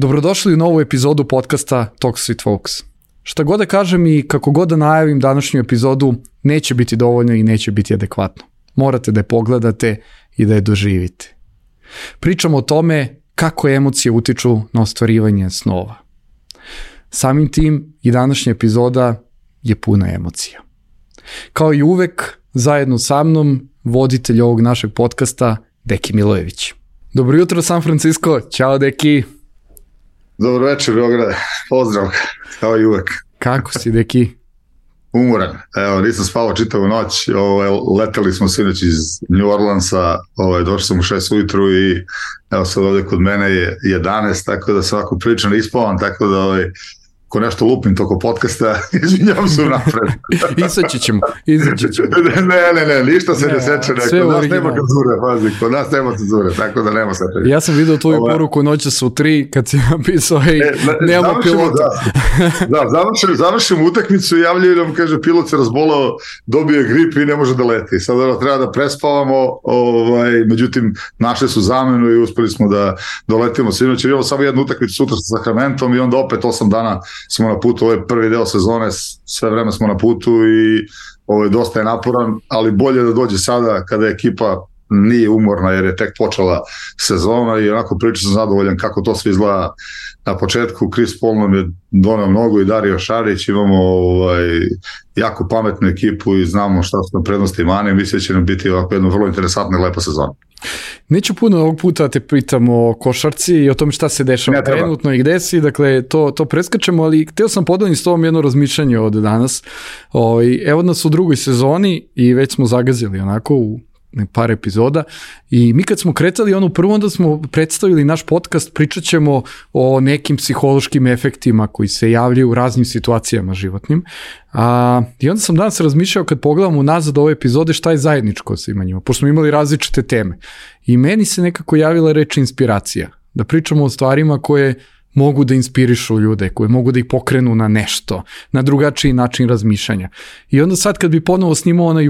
Dobrodošli u novu epizodu podcasta Talks with Folks. Šta god da kažem i kako god da najavim današnju epizodu, neće biti dovoljno i neće biti adekvatno. Morate da je pogledate i da je doživite. Pričamo o tome kako emocije utiču na ostvarivanje snova. Samim tim i današnja epizoda je puna emocija. Kao i uvek, zajedno sa mnom, voditelj ovog našeg podcasta, Deki Milojević. Dobro jutro, San Francisco. Ćao, Deki. Dobro večer, Beograde. Pozdrav, kao i uvek. Kako si, Deki? Umoran. Evo, nisam spavao čitavu noć. Leteli smo sinoć iz New Orleansa, došli sam u 6 ujutru i evo sad ovdje kod mene je 11, tako da sam ovako prilično ispavan, tako da ko nešto lupim toko podcasta, izvinjam se napred. Izaći ćemo. Ne, ništa se ne seče. Kod nas nema cenzure, pazi, kod nas nema cenzure, tako da nema seče. Ja sam vidio tvoju poruku noćas u 3, kad si napisao, nemamo pilota. Završim utakmicu i javljaju nam, kaže, pilot se razbolao, dobio je grip i ne može da leti. Sad treba da prespavamo, međutim, našli su zamenu i uspeli smo da doletimo sinoć. Imamo samo jednu utakmicu sutra sa Sacramentom i onda opet 8 dana smo na putu, ovo je prvi deo sezone, sve vreme smo na putu i ovo je dosta naporan, ali bolje da dođe sada kada ekipa nije umorna jer je tek počela sezona i onako priča sam zadovoljan kako to sve izgleda na početku. Chris Paul nam je donao mnogo i Dario Šarić, imamo jako pametnu ekipu i znamo šta su nam prednosti i mane, mislim da će nam biti ovako jedna vrlo interesantna i lepa sezona. Neću puno ovog puta te pitam o košarci i o tome šta se dešava trenutno i gde si, dakle to preskačemo, ali htio sam podeliti s tobom jedno razmišljanje od danas. Evo nas u drugoj sezoni i već smo zagazili onako u par epizoda i mi kad smo kretali prvo, onda smo predstavili naš podcast, pričat ćemo o nekim psihološkim efektima koji se javljaju u raznim situacijama životnim. I onda sam danas razmišljao kad pogledamo nazad ove epizode šta je zajedničko svima njima, pošto smo imali različite teme. I meni se nekako javila reč inspiracija, da pričamo o stvarima koje mogu da inspirišu ljude, koje mogu da ih pokrenu na nešto, na drugačiji način razmišljanja. I onda sad kad bi ponovo snimao onaj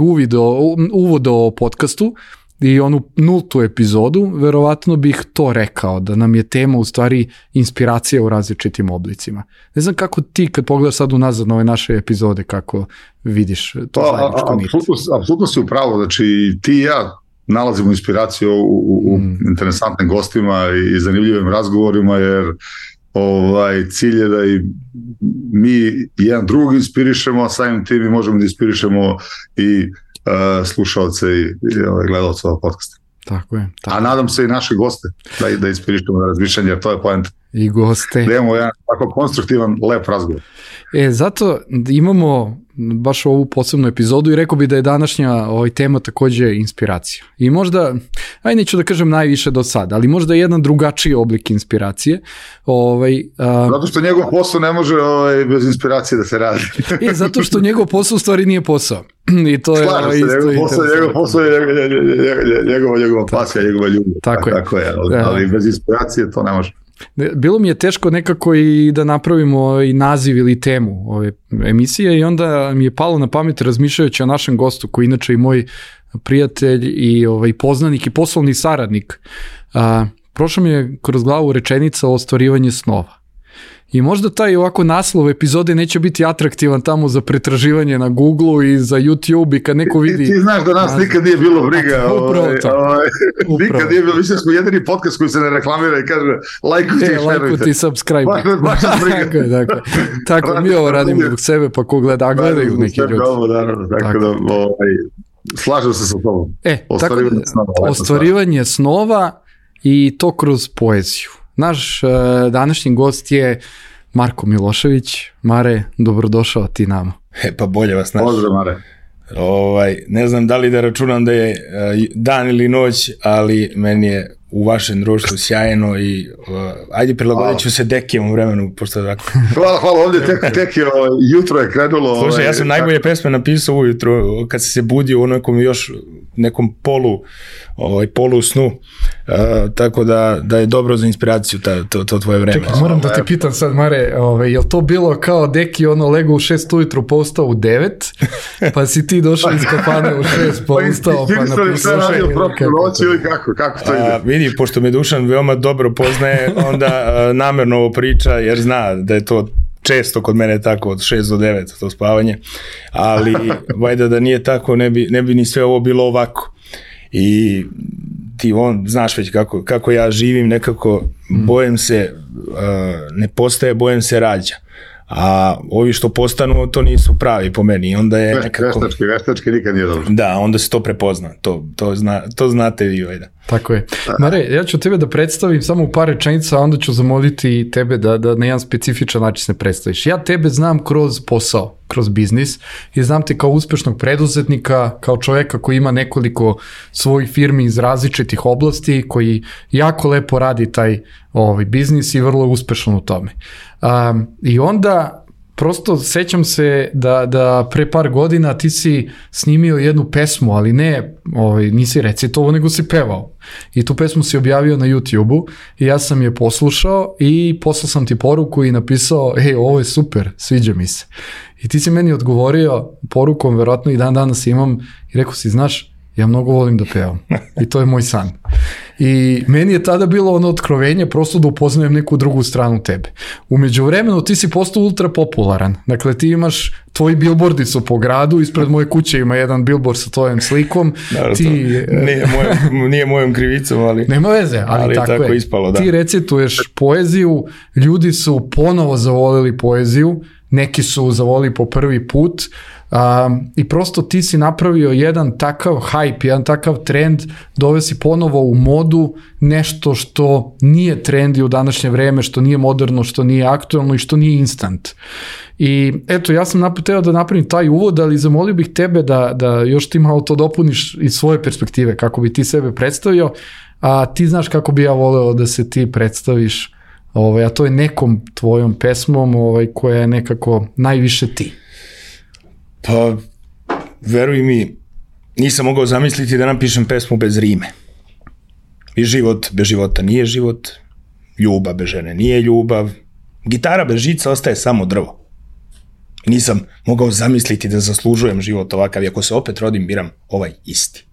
uvod o podcastu i onu 0. epizodu, verovatno bih to rekao, da nam je tema u stvari inspiracija u različitim oblicima. Ne znam kako ti kad pogledaš sad unazad na ove naše epizode, kako vidiš to zajedničko nit. Apsolutno si u pravu, znači ti i ja nalazimo inspiraciju u interesantnim gostima i zanimljivim razgovorima, jer cilj je da i mi jedan drugog inspirišemo, a samim tim mi možemo da inspirišemo i slušalce i gledalce ovog podcasta. Tako je. A nadam se i naše goste da inspirišemo na razmišljanje, jer to je poenta. I goste. Da imamo jedan tako konstruktivan, lep razgovor. Zato imamo baš ovu posebnu epizodu i rekao bi da je današnja tema takođe inspiracija. I možda, neću da kažem najviše do sada, ali možda jedan drugačiji oblik inspiracije. Zato što njegov posao ne može bez inspiracije da se radi. Zato što njegov posao u stvari nije posao. I to je njegov posao je njegova pasija, njegova ljubav. Tako je, ali bez inspiracije to ne može. Bilo mi je teško nekako i da napravimo i naziv ili temu ove emisije i onda mi je palo na pamet razmišljajući o našem gostu koji inače i moj prijatelj i poznanik i poslovni saradnik. Prošlo mi je kroz glavu rečenica o ostvarivanje snova. I možda taj ovako naslov epizode neće biti atraktivan tamo za pretraživanje na Google-u i za YouTube i kad neko vidi... Ti znaš da nas nikad nije bilo briga. Upravo to. Nikad nije bilo, mislim smo jedini podcast koji se ne reklamira i kaže lajkujte i šerujte. Lajkujte i subscribe. Baš nas briga. Tako, mi ovo radimo zbog sebe, pa ko gleda, a gledaju neki ljudi. Tako da, slažem se sa tobom. Ostvarivanje snova i to kroz poeziju. Naš današnji gost je Marko Milošević. Mare, dobrodošao ti nama. Pa bolje vas naš. Pozdrav, Mare. Ne znam da li da računam da je dan ili noć, ali meni je u vašem društvu sjajno i ajde prilagodit ću se Dekijem u vremenu. Pošto tako. Hvala, ovdje tek je jutro je krenulo. Slušaj, ja sam najbolje pesme napisao ujutro kad se budio u nekom još nekom polu snu, tako da je dobro za inspiraciju to tvoje vreme. Čekaj, moram da te pitam sad, Mare, je li to bilo kao Deki lego u 6 ujutru pa ustao u 9, pa si ti došao iz kafane u 6 pa ustao pa napisao kako to ide? Vidi, pošto me Dušan veoma dobro poznaje, onda namerno ovo priča jer zna da je to često kod mene tako od 6 do 9 to spavanje, ali vajda da nije tako ne bi ni sve ovo bilo ovako. I ti znaš već kako ja živim, nekako bojem se ne postaje, bojem se rađa. A ovi što postanu, to nisu pravi po meni. Onda je nekako... Veštački nikad nije dobro. Da, onda se to prepozna. To znate vi, vajda. Tako je. Mare, ja ću tebe da predstavim samo u par rečenica, a onda ću zamoliti tebe da na jedan specifičan način se predstaviš. Ja tebe znam kroz posao, kroz biznis i znam te kao uspešnog preduzetnika, kao čoveka koji ima nekoliko svojih firmi iz različitih oblasti, koji jako lepo radi taj biznis i vrlo uspešan u tome. I onda prosto sećam se da pre par godina ti si snimio jednu pesmu, ali ne, nisi recitovao, nego si pevao. I tu pesmu si objavio na YouTube-u i ja sam je poslušao i poslao sam ti poruku i napisao, ovo je super, sviđa mi se. I ti si meni odgovorio porukom, verovatno i dan danas imam, i rekao si, znaš, ja mnogo volim da pevam i to je moj san. I meni je tada bilo otkrovenje prosto da upoznajem neku drugu stranu tebe. U međuvremenu ti si postao ultra popularan. Dakle, ti imaš, tvoji bilbordi su po gradu, ispred moje kuće ima jedan bilbord sa tvojom slikom. Naravno, nije mojom krivicom, ali... Nema veze, ali tako je. Ispalo, da. Ti recituješ poeziju, ljudi su ponovo zavolili poeziju, neki su zavolili po prvi put, i prosto ti si napravio jedan takav hype, jedan takav trend, doveo si ponovo u modu nešto što nije trendi u današnje vreme, što nije moderno, što nije aktualno i što nije instant. I eto, ja sam teo da napravim taj uvod, ali zamolio bih tebe da još ti malo to dopuniš iz svoje perspektive, kako bi ti sebe predstavio, a ti znaš kako bi ja voleo da se ti predstaviš, a to je nekom tvojom pesmom koja je nekako najviše ti. Pa, veruj mi, nisam mogao zamisliti da napišem pesmu bez rime. I život bez života nije život, ljubav bez žene nije ljubav, gitara bez žica ostaje samo drvo. Nisam mogao zamisliti da zaslužujem život ovakav i ako se opet rodim, biram ovaj isti.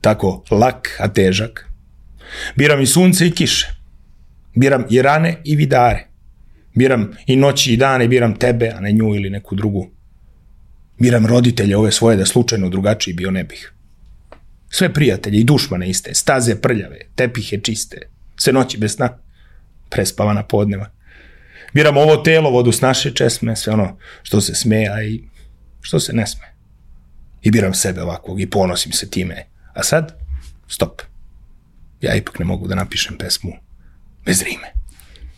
Tako lak, a težak. Biram i sunce i kiše. Biram i rane i vidare. Biram i noći i dane, biram tebe, a ne nju ili neku drugu. Biram roditelje ove svoje da slučajno drugačiji bio ne bih. Sve prijatelje i dušmane iste, staze prljave, tepihe čiste, sve noći bez sna, prespavana podneva. Biram ovo telo, vodu s naše česme, sve ono što se sme, a i što se ne sme. I biram sebe ovakvog i ponosim se time. A sad, stop. Ja ipak ne mogu da napišem pesmu bez rime.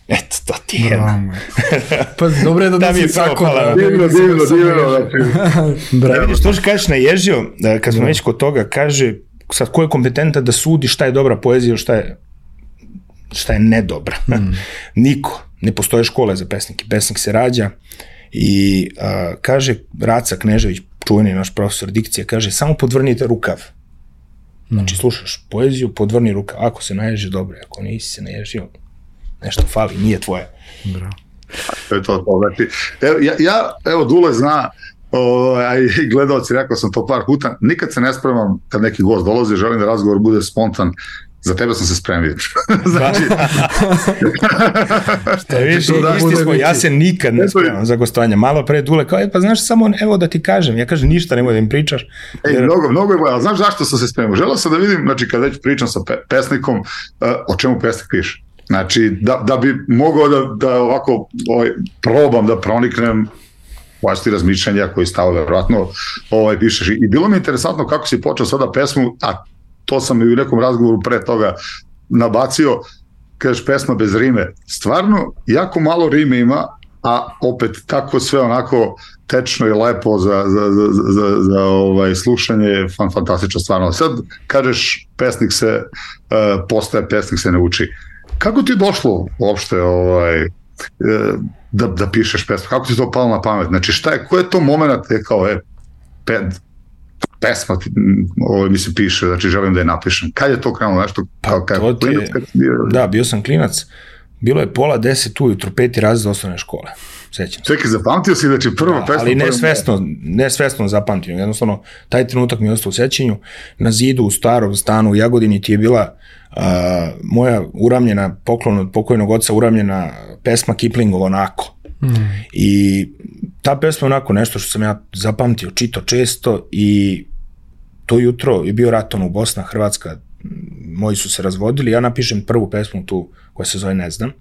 Eto, to ti je jedno. Pa dobro je da mi je propala. Divno. Vidiš, to što kažeš naježio, kad smo već kod toga, kaže, sad ko je kompetentan da sudi šta je dobra poezija, šta je nedobra. Niko. Ne postoje škole za pesnike. Pesnik se rađa i kaže Raca Knežević, čuveni naš profesor dikcije, kaže, samo podvrnite rukav. Znači, slušaš poeziju, podvrni rukav. Ako se naježi, dobro. Ako nisi se naježio, nešto fali, nije tvoje. Bravo. To je to. Evo, Dule zna, i gledalci, rekao sam to par puta, nikad se ne spremam kad neki gost dolazi, želim da razgovor bude spontan. Za tebe sam se spremio. Znači... Šta viš, isti smo, ja se nikad ne spremam za gostovanje. Malo pre Dule, kao, pa znaš, samo evo da ti kažem. Ja kažem, ništa, nemoj da im pričaš. Mnogo je, ali znaš zašto sam se spremio? Želeo sam da vidim, znači, kad već pričam sa pesnikom, o čemu pesnik piše. Znači, da bi mogao da ovako probam da proniknem vlastiti razmišljanja koji stave verovatno pišeš. I bilo mi je interesantno kako si počeo sada pesmu, a to sam i u nekom razgovoru pre toga nabacio, kažeš pesma bez rime. Stvarno, jako malo rime ima, a opet tako sve onako tečno i lepo za slušanje, fantastično stvarno. Sad kažeš pesnik se postaje, pesnik se ne uči. Kako ti je došlo uopšte da pišeš pesmu? Kako ti to palo na pamet? Znači ko je to moment kao pesma mi se piše, znači želim da je napišem. Kad je to krenulo nešto? Da, bio sam klinac. Bilo je 9:30 ujutro, 5. razred osnovne škole. Sećam se. Čekaj, zapamtio si da će prva pesma... Ali nesvesno zapamtio. Jednostavno, taj trenutak mi je ostao u sećanju. Na zidu u starom stanu u Jagodini ti je bila moja uramljena, poklon od pokojnog oca, uramljena pesma Kiplingova Onako. I ta pesma onako nešto što sam ja zapamtio, čito često, i to jutro je bio rat, Bosna, Hrvatska, moji su se razvodili, ja napišem prvu pesmu tu koja se zove Ne znam,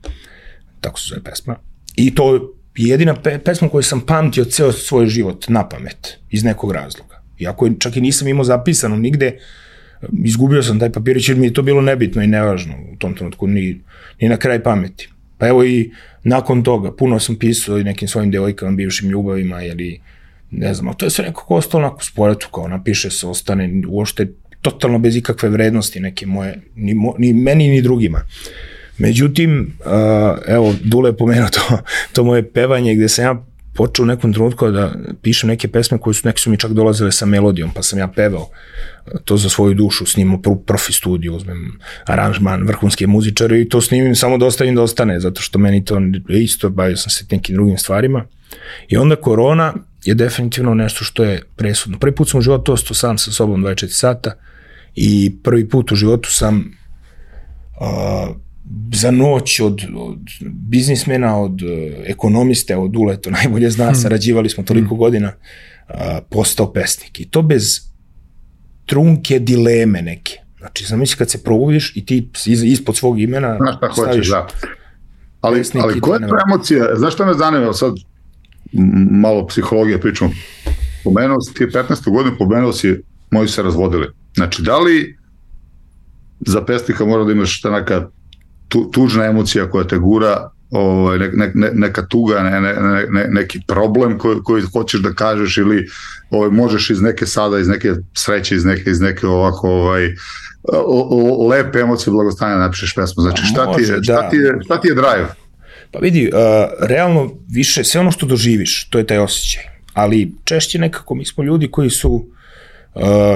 tako se zove pesma, i to je jedina pesma koju sam pamtio ceo svoj život na pamet, iz nekog razloga. Iako čak i nisam imao zapisano nigde, izgubio sam taj papirić jer mi je to bilo nebitno i nevažno u tom trenutku, ni na kraj pameti. Pa evo i nakon toga, puno sam pisao i nekim svojim devojkama, bivšim ljubavima, ili ne znam, ali to je sve nekako ostalo onako sporetu, kao napiše se, ostane uopšte totalno bez ikakve vrednosti neke moje, ni meni ni drugima. Međutim, evo, Dule je pomenuo to moje pevanje gde sam ja počeo u nekom trenutku da pišem neke pesme koje neke su mi čak dolazile sa melodijom, pa sam ja pevao to za svoju dušu, snimao profi studiju, uzmem aranžman, vrhunske muzičare i to snimim samo da ostavim da ostane, zato što meni to isto, bavio sam se nekim drugim stvarima. I onda korona je definitivno nešto što je presudno. Prvi put sam u životu ostao sam sa sobom 24 sata i prvi put u životu sam za noć od biznismena, od ekonomiste, od Dule, to najbolje zna, sarađivali smo toliko godina, postao pesnik. I to bez trunke dileme neke. Znači, zamisli kad se probudiš i ti ispod svog imena staviš... Ali koja je to emocija? Znaš što me zanima? Sad malo psihologije pričamo. Pomenuo si ti 15. godinu, pomenuo si moji se razvodili. Znači, da li za pesnika mora da imaš ta neka tužna emocija koja te gura, neka tuga, neki problem koji hoćeš da kažeš, ili možeš iz neke sada, iz neke sreće, iz neke ovako lepe emocije blagostanja napišeš pesmu. Znači, šta ti je drive? Pa vidi, realno više, sve ono što doživiš, to je taj osjećaj. Ali češće nekako, mi smo ljudi koji su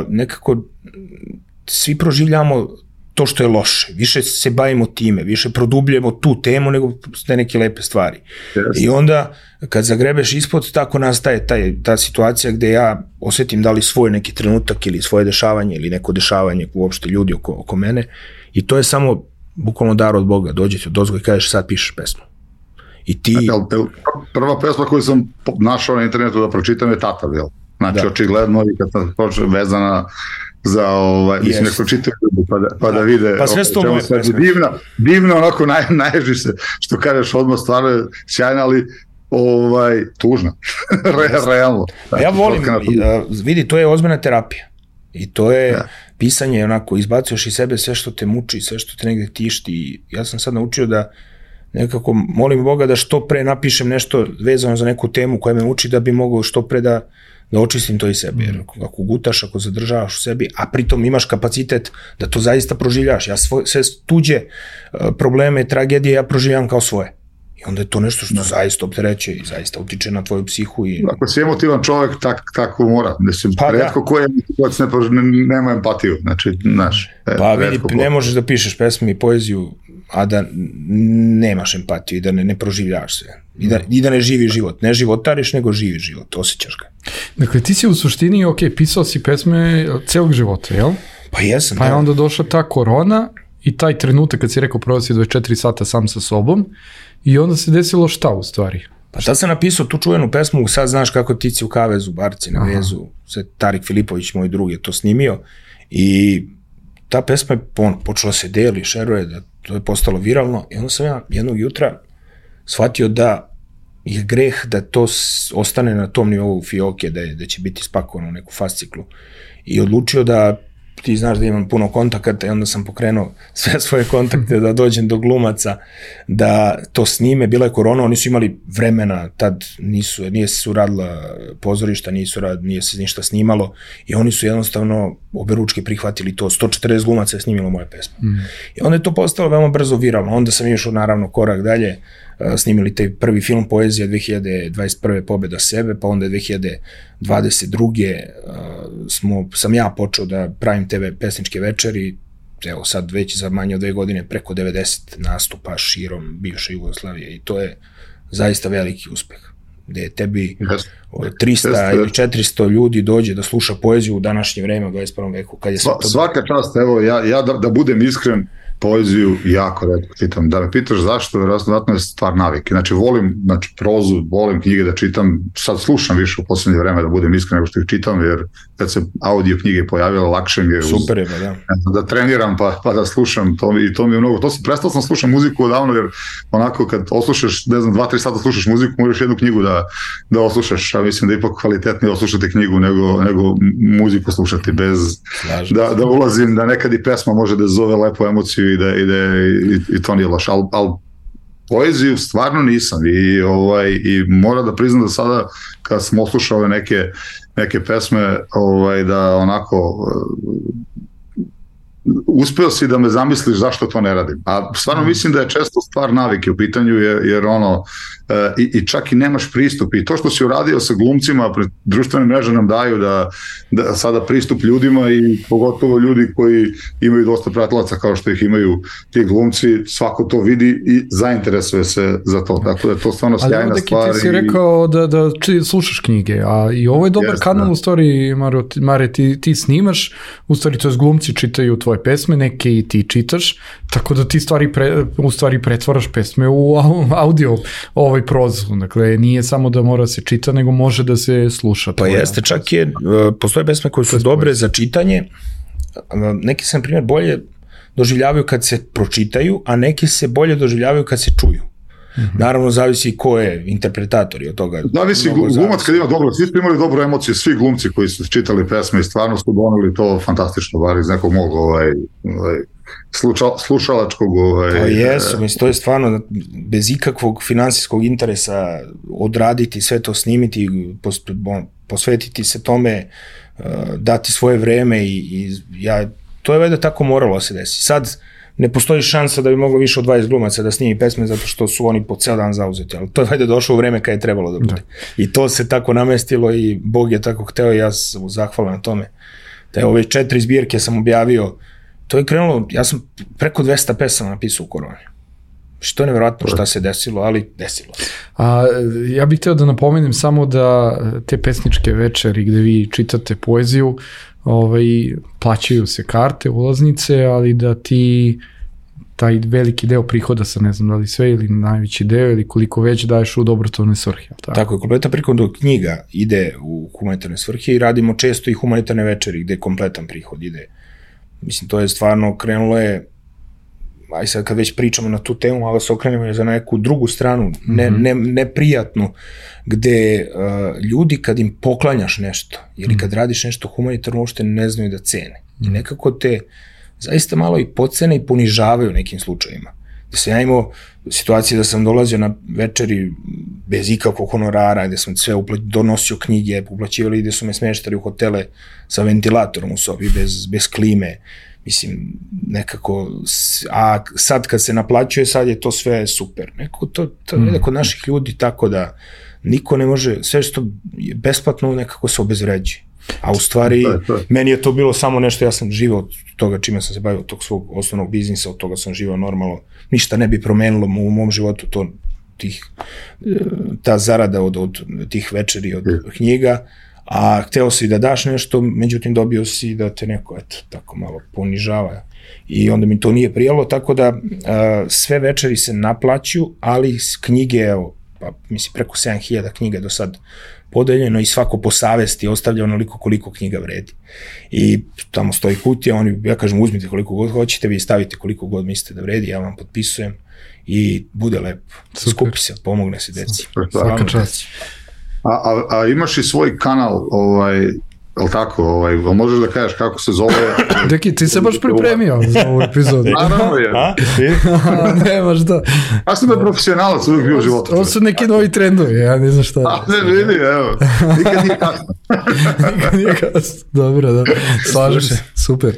nekako, svi proživljamo to što je loše, više se bavimo time, više produbljujemo tu temu nego te neke lepe stvari. Yes. I onda kad zagrebeš ispod, tako nastaje ta situacija gde ja osetim da li svoj neki trenutak ili svoje dešavanje ili neko dešavanje uopšte ljudi oko mene, i to je samo bukvalno dar od Boga, dođe ti odozgo i kažeš sad pišeš pesmu. I ti... Prva pesma koju sam našao na internetu da pročitam je Tata, bil? Znači, očigledno, i kad sam počeo vezana za mislim neko čitaju pa da vide pa sve sto moje pesme. Divno, onako naježiš se, što kažeš odmah, stvarno je sjajna, ali tužna. Realno. Ja volim, vidi, to je ozbiljna terapija. I to je pisanje, onako, izbacuješ iz sebe sve što te muči, sve što te negde tišti. Ja sam sad naučio da nekako molim Boga da što pre napišem nešto vezano za neku temu koja me muči, da bi mogao što pre da očistim to iz sebe, jer ako gutaš, ako zadržavaš u sebi, a pritom imaš kapacitet da to zaista proživljaš. Ja sve tuđe probleme, tragedije ja proživljam kao svoje. I onda je to nešto što zaista opterećuje i zaista utiče na tvoju psihu. Ako si emotivan čovjek, tako mora. Retko ko je nema empatiju. Znači, pa vidi, ne možeš da pišeš pesme i poeziju, a da nemaš empatiju i da ne proživljaš se. I da ne živi život. Ne životariš, nego živi život. Osjećaš ga. Dakle, ti si u suštini, pisao si pesme celog života, jel? Pa jesam. Pa je onda došla ta korona i taj trenutak kad si rekao prvo si 24 sata sam sa sobom i onda se desilo šta u stvari? Pa tad sam napisao tu čuvenu pesmu, sad znaš kako Ptici u kavezu, Barci na vezu, sve Tarik Filipović, moj drug, je to snimio, i ta pesma je počela se deli, šeruje, da to je postalo viralno, i onda sam ja jednog jutra shvatio da je greh da to ostane na tom nivou fioke, da će biti spakovano u neku fasciklu, i odlučio da, ti znaš da imam puno kontakata, i onda sam pokrenuo sve svoje kontakte da dođem do glumaca, da to snime. Bila je korona, oni su imali vremena, tad nije se radila pozorišta, nije se ništa snimalo, i oni su jednostavno oberučke prihvatili to. 140 glumaca je snimilo moje pesme. I onda je to postalo veoma brzo viralno. Onda sam išao naravno korak dalje, snimili taj prvi film Poezija 2021. Pobeda sebe, pa onda 2022. Sam ja počeo da pravim TV pesničke večeri, evo sad već za manje od 2 godine preko 90 nastupa širom bivše Jugoslavije i to je zaista veliki uspeh, gde tebi 300 ili 400 ljudi dođe da sluša poeziju u današnje vreme u 21. veku. Kad je svaka čast, evo ja da budem iskren, poeziju jako retko čitam. Da me pitaš zašto, vjerojatno je stvar navike. Znači volim prozu, volim knjige da čitam, sad slušam više u poslednje vreme da budem iskren nego što ih čitam, jer kad se audio knjige pojavile, lakše mi je da treniram pa da slušam, i to mi je mnogo. Prestao sam slušam muziku odavno, jer onako kad oslušaš, ne znam, 2-3 sata slušaš muziku, možeš jednu knjigu da oslušaš, a mislim da je ipak kvalitetnije oslušati knjigu nego muziku slušati bez da ulazim, da nekad i pesma može da zove lepu emociju i to nije loš, ali poeziju stvarno nisam i moram da priznam da sada kad sam oslušao neke pesme da onako uspeo si da me zamisliš zašto to ne radim, a stvarno mislim da je često stvar navike u pitanju, jer i čak i nemaš pristup, i to što si uradio sa glumcima, društvene mreže nam daju da sada pristup ljudima, i pogotovo ljudi koji imaju dosta pratilaca kao što ih imaju ti glumci, svako to vidi i zainteresuje se za to, tako da je to stvarno sjajna stvar. Ali ti si rekao da slušaš knjige, a i ovo je dobar kanal, u stvari, Mare, ti snimaš, u stvari to je glumci čitaju tvoje pesme, neke i ti čitaš, tako da ti u stvari pretvaraš pesme u audio prozu, dakle nije samo da mora se čita, nego može da se sluša. Pa jeste, čak postoje pesme koje su dobre za čitanje, neki se na primjer bolje doživljavaju kad se pročitaju, a neki se bolje doživljavaju kad se čuju. Naravno, zavisi ko je interpretator i od toga. Zavisi, glumac kad ima dobro, svi imali dobru emociju, svi glumci koji su čitali pesme i stvarno su doneli to fantastično, bar iz nekog mog slušalačkog... To jesu, mislim, to je stvarno bez ikakvog finansijskog interesa odraditi, sve to snimiti, posvetiti se tome, dati svoje vreme i to je valjda tako moralo se desiti. Sad ne postoji šansa da bi moglo više od 20 glumaca da snimi pesme zato što su oni po ceo dan zauzeti, ali to je valjda došlo u vreme kad je trebalo da bude. I to se tako namestilo i Bog je tako hteo i ja sam zahvalan na tome. Da ove 4 zbirke sam objavio, to je krenulo, ja sam preko 200 pesama napisao u koroni. Što je nevjerojatno šta se desilo, ali desilo se. Ja bih hteo da napomenem samo da te pesničke večeri gde vi čitate poeziju, plaćaju se karte, ulaznice, ali da ti taj veliki deo prihoda sa ne znam da li sve ili najveći deo ili koliko već daješ u dobrotvorne svrhe. Tako je, kompletan prihod od knjiga ide u humanitarne svrhe i radimo često i humanitarne večeri gde kompletan prihod ide. Mislim, to je stvarno krenulo je, aj sad kad već pričamo na tu temu, ali se okrenemo za neku drugu stranu, neprijatnu, gde ljudi kad im poklanjaš nešto ili kad radiš nešto humanitarno uopšte ne znaju da cene. I nekako te zaista malo i podcene i ponižavaju u nekim slučajima. Gde sam ja imao situacije da sam dolazio na večeri bez ikakvog honorara, gde sam sve donosio knjige, uplaćivali, gde su me smeštali u hotele sa ventilatorom u sobi, bez klime. Mislim, nekako, a sad kad se naplaćuje, sad je to sve super. Nekako to je kod naših ljudi tako da niko ne može, sve što je besplatno nekako se obezvređuje. A u stvari, meni je to bilo samo nešto, ja sam živao od toga čime sam se bavio, od tog svog osnovnog biznisa, od toga sam živao normalno, ništa ne bi promenilo u mom životu ta zarada od tih večeri, od knjiga, a hteo si da daš nešto, međutim dobio si da te neko tako malo ponižava i onda mi to nije prijalo, tako da sve večeri se naplaćuju, ali knjige, evo, mislim preko 7000 knjiga do sad podeljeno i svako po savesti ostavlja onoliko koliko knjiga vredi. I tamo stoji kutija, ja kažem uzmite koliko god hoćete, vi stavite koliko god mislite da vredi, ja vam potpisujem i bude lepo. Skupi se, pomogne se deci. Svaka čast. A imaš i svoj kanal, ali tako, možeš da kažeš kako se zove? Deki, ti se baš pripremio za ovu epizodu. Naravno je. Nemaš da. Ja sam profesionalac uvijek bio u životu. Ovo su neki novi trendovi, ja ne znam šta. A ne vidi, evo, nikad nije kasno. Nikad nije kasno, dobro, da. Slažem se, super.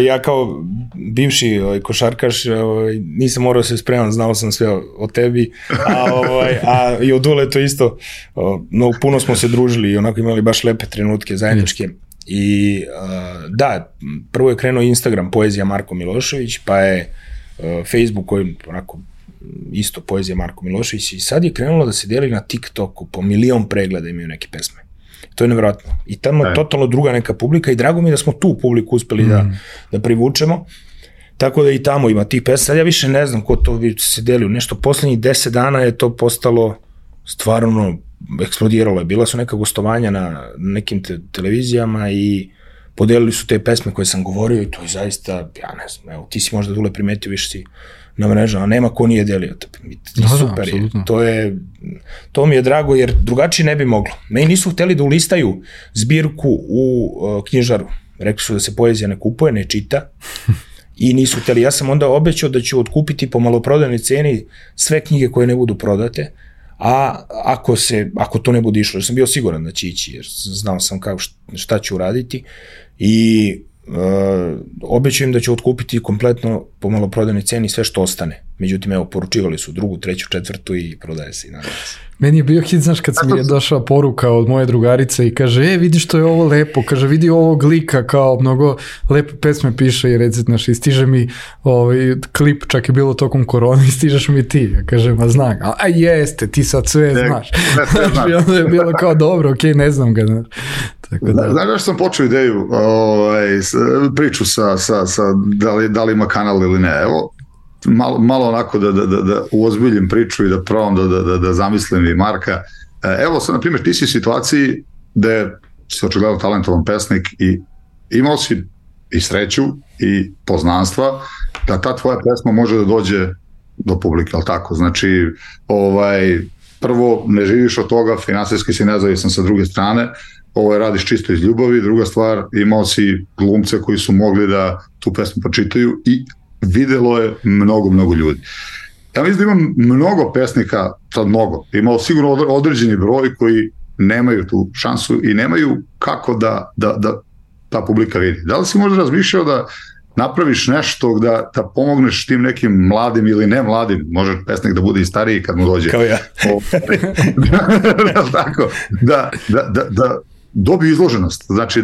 Ja kao bivši košarkaš nisam morao se spremam, znao sam sve o tebi, a i od Dule to isto, no, puno smo se družili i onako imali baš lepe trenutke zajedničke. I da, prvo je krenuo Instagram Poezija Marko Milošević, pa je Facebook koji onako isto Poezija Marko Milošević i sad je krenulo da se deli na TikToku, po 1.000.000 pregleda imaju neke pesme. To je nevjerojatno. I tamo je totalno druga neka publika i drago mi je da smo tu publiku uspeli da privučemo. Tako da i tamo ima tih pesma. Sad ja više ne znam ko to bi se delio. Nešto poslednjih 10 dana je to postalo stvarno eksplodiralo je. Bila su neka gostovanja na nekim televizijama i podelili su te pesme koje sam govorio i to je zaista, ja ne znam, evo, ti si možda Dule primetio, više si na mrežama, nema ko nije delio. Super je. To mi je drago jer drugačije ne bi moglo. Meni nisu hteli da ulistaju zbirku u knjižaru. Rekli su da se poezija ne kupuje, ne čita i nisu hteli. Ja sam onda obećao da ću otkupiti po maloprodajnoj ceni sve knjige koje ne budu prodate, a ako to ne bude išlo, jer sam bio siguran da će ići, jer znao sam šta ću uraditi i obećujem da ću otkupiti kompletno po maloprodajnoj ceni sve što ostane. Međutim, evo, poručivali su 2., 3., 4. i prodaje se i nadam se. Meni je bio hit, znaš, kad mi je došla poruka od moje drugarice i kaže, vidi što je ovo lepo, kaže, vidi ovog lika, kao mnogo lepe pesme piše i recit naš, i stiže mi klip, čak je bilo tokom korona i stižeš mi ti. Ja kažem, znam, a jeste, ti sad sve znaš. Znači, onda je bilo kao dobro, okej, ne znam ga, znaš. Znaš da sam počeo ideju, priču sa da li ima kanal ili ne, evo, malo onako da uozbiljim priču i da probam da zamislim i Marka. Evo sad, na primjer, ti si u situaciji da si očigledno talentovan pesnik i imao si i sreću i poznanstva da ta tvoja pesma može da dođe do publike, ali tako? Znači, prvo, ne živiš od toga, finansijski si nezavisan sa druge strane, radiš čisto iz ljubavi, druga stvar, imao si glumce koji su mogli da tu pesmu počitaju i videlo je mnogo ljudi. Ja mislim da imam mnogo pesnika, sad mnogo, imao sigurno određeni broj koji nemaju tu šansu i nemaju kako da ta publika vidi. Da li si možda razmišljao da napraviš nešto da pomogneš tim nekim mladim ili ne mladim, može pesnik da bude i stariji kad mu dođe. Kao ja. Tako, da dobiju izloženost, znači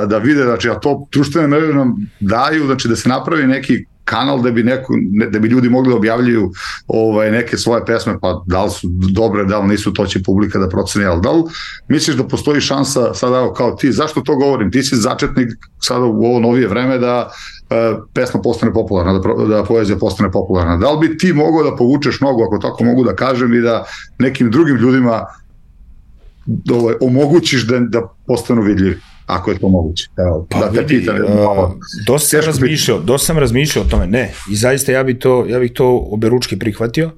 da vide, znači, a to društvene mreže nam daju, znači da se napravi neki kanal da bi ljudi mogli da objavljaju neke svoje pesme, pa da li su dobre, da li nisu, to će publika da proceni, ali da li misliš da postoji šansa sada kao ti, zašto to govorim, ti si začetnik sada u ovo novije vreme da pesma postane popularna, da poezija postane popularna, da li bi ti mogao da povučeš nogu, ako tako mogu da kažem, i da nekim drugim ljudima omogućiš da postanu vidljivi, ako je to moguće. Evo, pa da te pitam. Dosta sam razmišljao o tome, ne, i zaista ja bih to oberučki prihvatio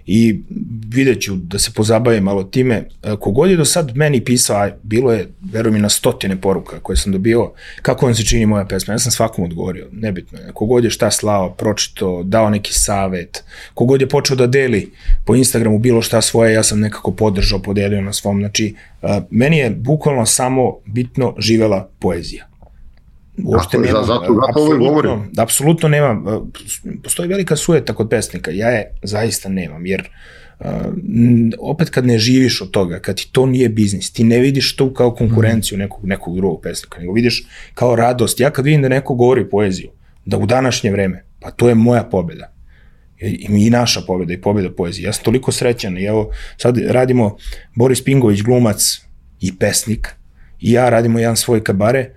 i vidjet ću da se pozabavim malo time. Kogod je do sad meni pisao, bilo je, verujem, i na 100 poruka koje sam dobio, kako vam se čini moja pesma, ja sam svakom odgovorio, nebitno je, kogod je šta slao, pročito, dao neki savet, kogod je počeo da deli po Instagramu bilo šta svoje, ja sam nekako podržao, podelio na svom, znači, meni je bukvalno samo bitno živela poezija. Uopšte apsolutno nemam, postoji velika sujeta kod pesnika, ja je zaista nemam, jer opet kad ne živiš od toga, kad ti to nije biznis, ti ne vidiš to kao konkurenciju nekog drugog pesnika, nego vidiš kao radost. Ja kad vidim da neko govori poeziju, da u današnje vreme, pa to je moja pobjeda i naša pobjeda i pobjeda poezije. Ja sam toliko srećan i evo sad radimo, Boris Pingović, glumac i pesnik, i ja radimo jedan svoj kabare,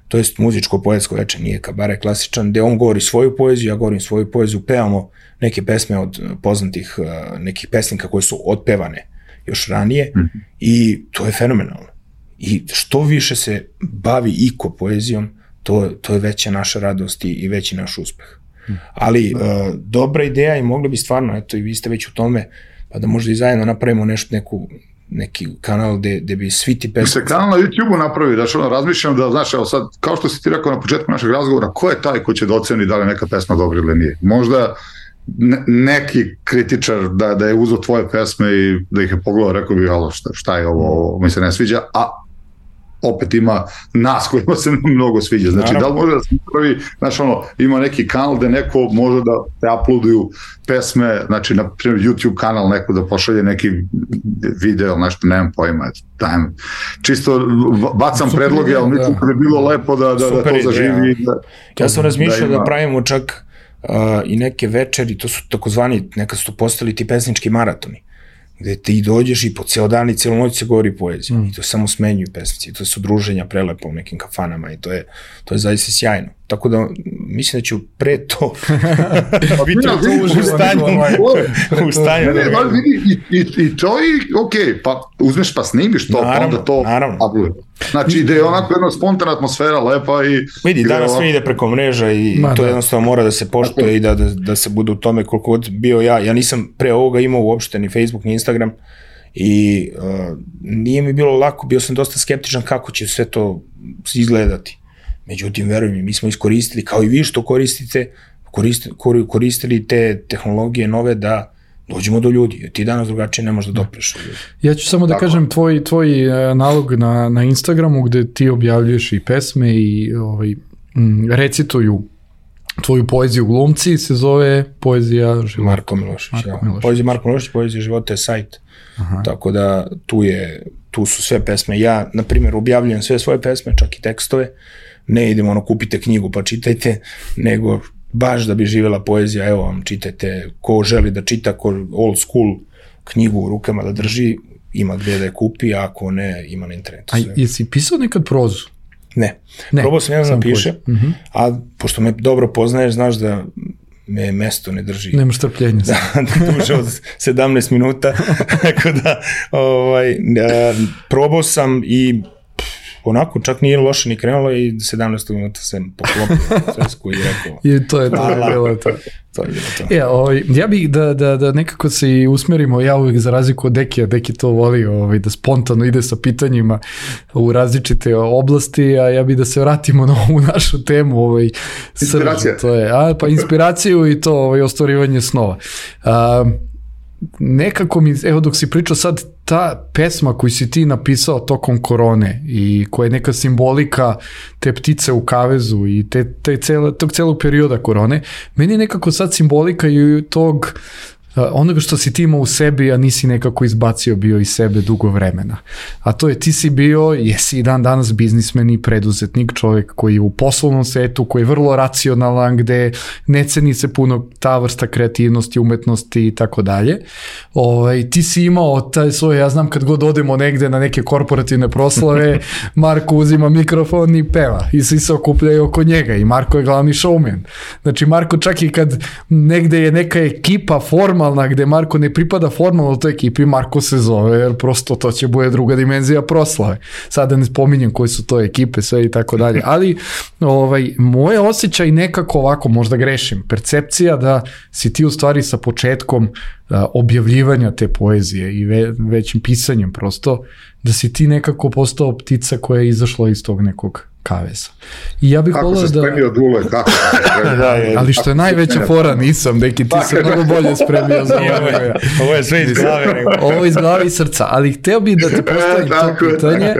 to je muzičko-poetsko veče, nije kabare klasičan, gde on govori svoju poeziju, ja govorim svoju poeziju, pevamo neke pesme od poznatih nekih pesnika koje su otpevane još ranije i to je fenomenalno. I što više se bavi iko poezijom, to je veća naša radost i veći naš uspeh. Ali dobra ideja i mogli bi stvarno, eto i vi ste već u tome, pa da možda i zajedno napravimo neki kanal gde bi svi ti pesmi... Se kanal na YouTube-u napravi, znači razmišljam da, znaš, evo sad, kao što si ti rekao na početku našeg razgovora, ko je taj ko će da oceni da li neka pesma dobra ili nije? Možda neki kritičar da je uzeo tvoje pesme i da ih je pogledao, rekao bi, alo, šta je ovo mi se ne sviđa, a opet ima nas kojima se mnogo sviđa. Znači, da li može da se pravi, znači ima neki kanal gde neko može da te uploaduju pesme, znači, na primjer, YouTube kanal neko da pošalje neki video, nešto, nemam pojma, dajem. Čisto bacam predloge, ali mislim da bi bilo lepo da to zaživi. Ja sam razmišljao da pravimo čak i neke večeri, to su takozvani, nekad su to postali ti pesnički maratoni, gde ti dođeš i po ceo dan i celu noć se govori poezija i to samo smenjuju pesnici, to su druženja prelepo u nekim kafanama i to je zaista sjajno. Tako da mislim da ću pre to biti u stanju. I to je okej, pa uzmeš pa snimiš to, pa onda to upload. Znači, ide onako jedna spontana atmosfera, lepa i... Vidi, danas sve ide preko mreža i to jednostavno mora da se poštuje i da se bude u tome koliko god bio ja. Ja nisam pre ovoga imao uopšte ni Facebook, ni Instagram i nije mi bilo lako, bio sam dosta skeptičan kako će sve to izgledati. Međutim, veruj mi smo iskoristili, kao i vi što koristite, koristili te tehnologije nove da dođemo do ljudi. Ti danas drugačije ne možeš da dopreš. Ja ću samo da kažem tvoj nalog na Instagramu gde ti objavljuješ i pesme i recituju tvoju poeziju glumci, se zove Poezija života. Marko Milošić. Poezija Marko Milošić, Poezija života je sajt. Tako da tu su sve pesme. Ja, na primjer, objavljujem sve svoje pesme, čak i tekstove. Ne idemo kupite knjigu pa čitajte, nego baš da bi živjela poezija, evo vam, čitajte, ko želi da čita, ko old school knjigu u rukama da drži, ima gdje da je kupi, a ako ne, ima na internetu. A jesi pisao nekad prozu? Ne. Probao sam jedan da piše, a pošto me dobro poznaješ, znaš da me mesto ne drži. Nemaš trpljenja. Duže od 17 minuta, tako da probao sam i onako, čak nije loše ni krenulo i 17. minuta sam poklopio svesku i rekao. I to je bilo to. Ja bih da nekako se i usmerimo, ja uvijek za razliku od Dekija, Deki to voli da spontano ide sa pitanjima u različite oblasti, a ja bih da se vratimo na ovu našu temu. Inspiracija. Pa inspiraciju i to ostvarivanje snova. Nekako mi, evo dok si pričao sad, ta pesma koju si ti napisao tokom korone i koja je neka simbolika te ptice u kavezu i tog celog perioda korone, meni je nekako sad simbolika i tog onoga što si ti imao u sebi, a nisi nekako izbacio bio iz sebe dugo vremena. A to je, ti si bio, jesi i dan danas biznismen i preduzetnik, čovjek koji je u poslovnom svetu, koji je vrlo racionalan, gde ne ceni se puno ta vrsta kreativnosti, umetnosti i tako dalje. Ti si imao taj svoj, ja znam kad god odemo negde na neke korporativne proslave, Marko uzima mikrofon i peva i svi se okupljaju oko njega i Marko je glavni showman. Znači Marko čak i kad negde je neka ekipa formalna gde Marko ne pripada formalno toj ekipi, Marko se zove, jer prosto to će bude druga dimenzija proslave. Sada ne spominjem koje su to ekipe, sve i tako dalje. Ali moje osjećaj nekako ovako, možda grešim, percepcija da si ti u stvari sa početkom objavljivanja te poezije i većim pisanjem prosto, da si ti nekako postao ptica koja je izašla iz tog nekog kaveza. I ja bih kako se spremio Dule, kako se spremio? Ali što je najveća fora, nisam, neki ti se mnogo bolje spremio za ovo je sve iz glave. Ovo iz glave i srca, ali hteo bih da ti postavim to pitanje,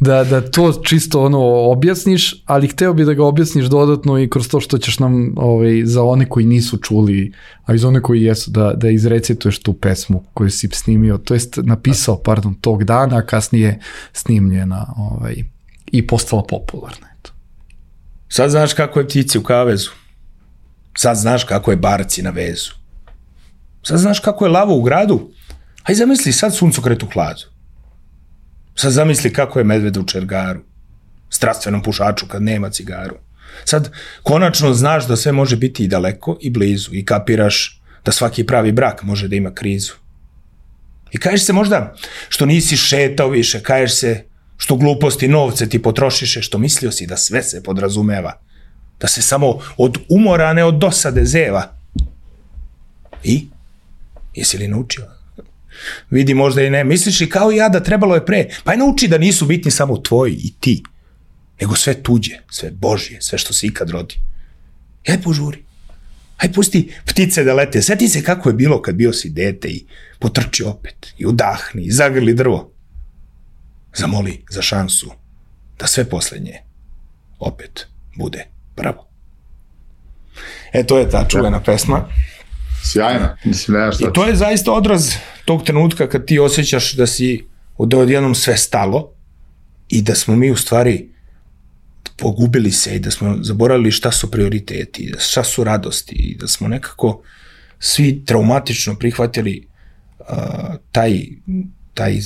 da to čisto objasniš, ali hteo bih da ga objasniš dodatno i kroz to što ćeš nam za one koji nisu čuli, a i za one koji jesu, da izrecituješ tu pesmu koju si snimio, to jest napisao, tog dana, a kasnije snimljena i postala popularna. Sad znaš kako je ptici u kavezu. Sad znaš kako je barci na vezu. Sad znaš kako je lavo u gradu. Aj zamisli sad suncokret u hladu. Sad zamisli kako je medved u čergaru. Strastvenom pušaču kad nema cigaru. Sad konačno znaš da sve može biti i daleko i blizu i kapiraš da svaki pravi brak može da ima krizu. I kažeš se možda što nisi šetao više, kažeš se što gluposti novce ti potrošiše, što mislio si da sve se podrazumeva, da se samo od umora, ne od dosade zeva. I? Jesi li naučio? Vidi, možda i ne. Misliš i kao ja da trebalo je pre? Pa je nauči da nisu bitni samo tvoji i ti, nego sve tuđe, sve Božje, sve što se ikad rodi. Aj požuri. Aj pusti ptice da lete. Sjeti se kako je bilo kad bio si dete i potrči opet i udahni i zagrli drvo. Zamoli za šansu da sve poslednje opet bude prvo. To je ta čuvena pesma. Sjajna. I to je zaista odraz tog trenutka kad ti osjećaš da si odjednom sve stalo i da smo mi u stvari pogubili se i da smo zaboravili šta su prioriteti, šta su radosti i da smo nekako svi traumatično prihvatili taj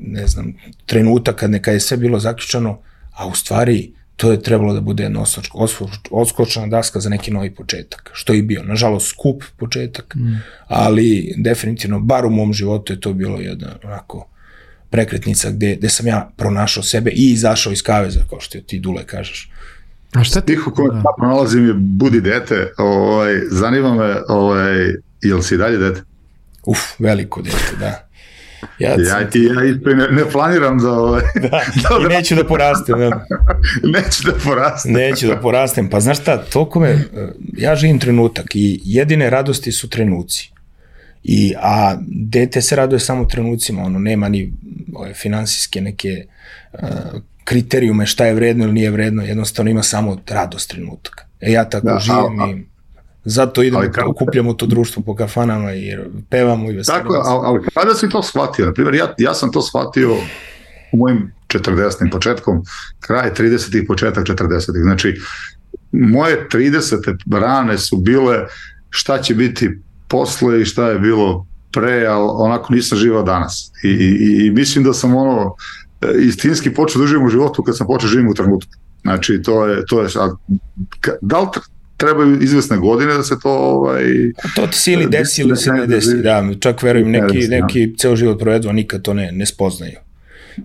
ne znam, trenutak kad je sve bilo zaključano, a u stvari to je trebalo da bude jedna odskočna daska za neki novi početak, što je i bio. Nažalost, skup početak, ali definitivno, bar u mom životu je to bilo jedna onako prekretnica gde sam ja pronašao sebe i izašao iz kaveza, kao što ti, Dule, kažeš. A šta ti? Tiho komentar pronalazim je budi dete, zanima me, jel si dalje dete? Veliko dete, da. Ja ne planiram da... I neću da porastem. Neću da porastem. Pa znaš šta, ja živim trenutak i jedine radosti su trenuci. A dete se raduje samo trenucima, nema ni finansijske neke kriterijume šta je vredno ili nije vredno, jednostavno ima samo radost trenutaka. Ja tako živim i zato idemo, okupljamo to društvo po kafanama i pevamo i veselimo. Tako, ali kada si to shvatio? Naprimjer, ja sam to shvatio u mojim 40. početkom, kraj 30. početak 40. Znači, moje 30. rane su bile šta će biti posle i šta je bilo pre, ali onako nisam živao danas. I mislim da sam istinski počeo da živim u životu kad sam počeo živim u trenutku. Znači, to je da li trebaju izvesne godine da se to... To ti se ili desi ili se ne desi, da, čak verujem, neki ceo život provedu, a nikad to ne spoznaju.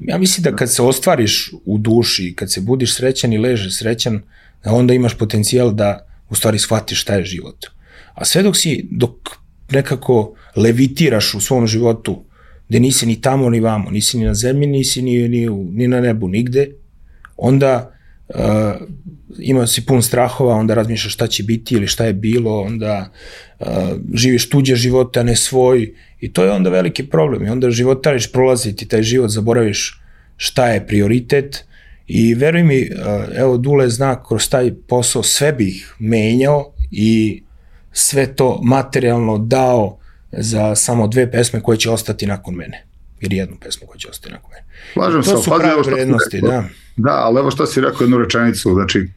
Ja mislim da kad se ostvariš u duši, kad se budiš srećan i ležeš srećan, onda imaš potencijal da u stvari shvatiš šta je život. A sve dok nekako levitiraš u svom životu, gde nisi ni tamo ni vamo, nisi ni na zemlji, nisi ni na nebu, nigde, onda ima si pun strahova, onda razmišljaš šta će biti ili šta je bilo, onda živiš tuđe živote, a ne svoj, i to je onda veliki problem. I onda životariš, prolaziti taj život, zaboraviš šta je prioritet. I veruj mi, evo, Dule zna, kroz taj posao sve bih menjao i sve to materijalno dao za samo 2 pesme koje će ostati nakon mene. Ili 1 pesmu koja će ostati nakon mene. Slažem se, to su prave vrednosti, da. Da, ali evo što si rekao jednu rečenicu, znači,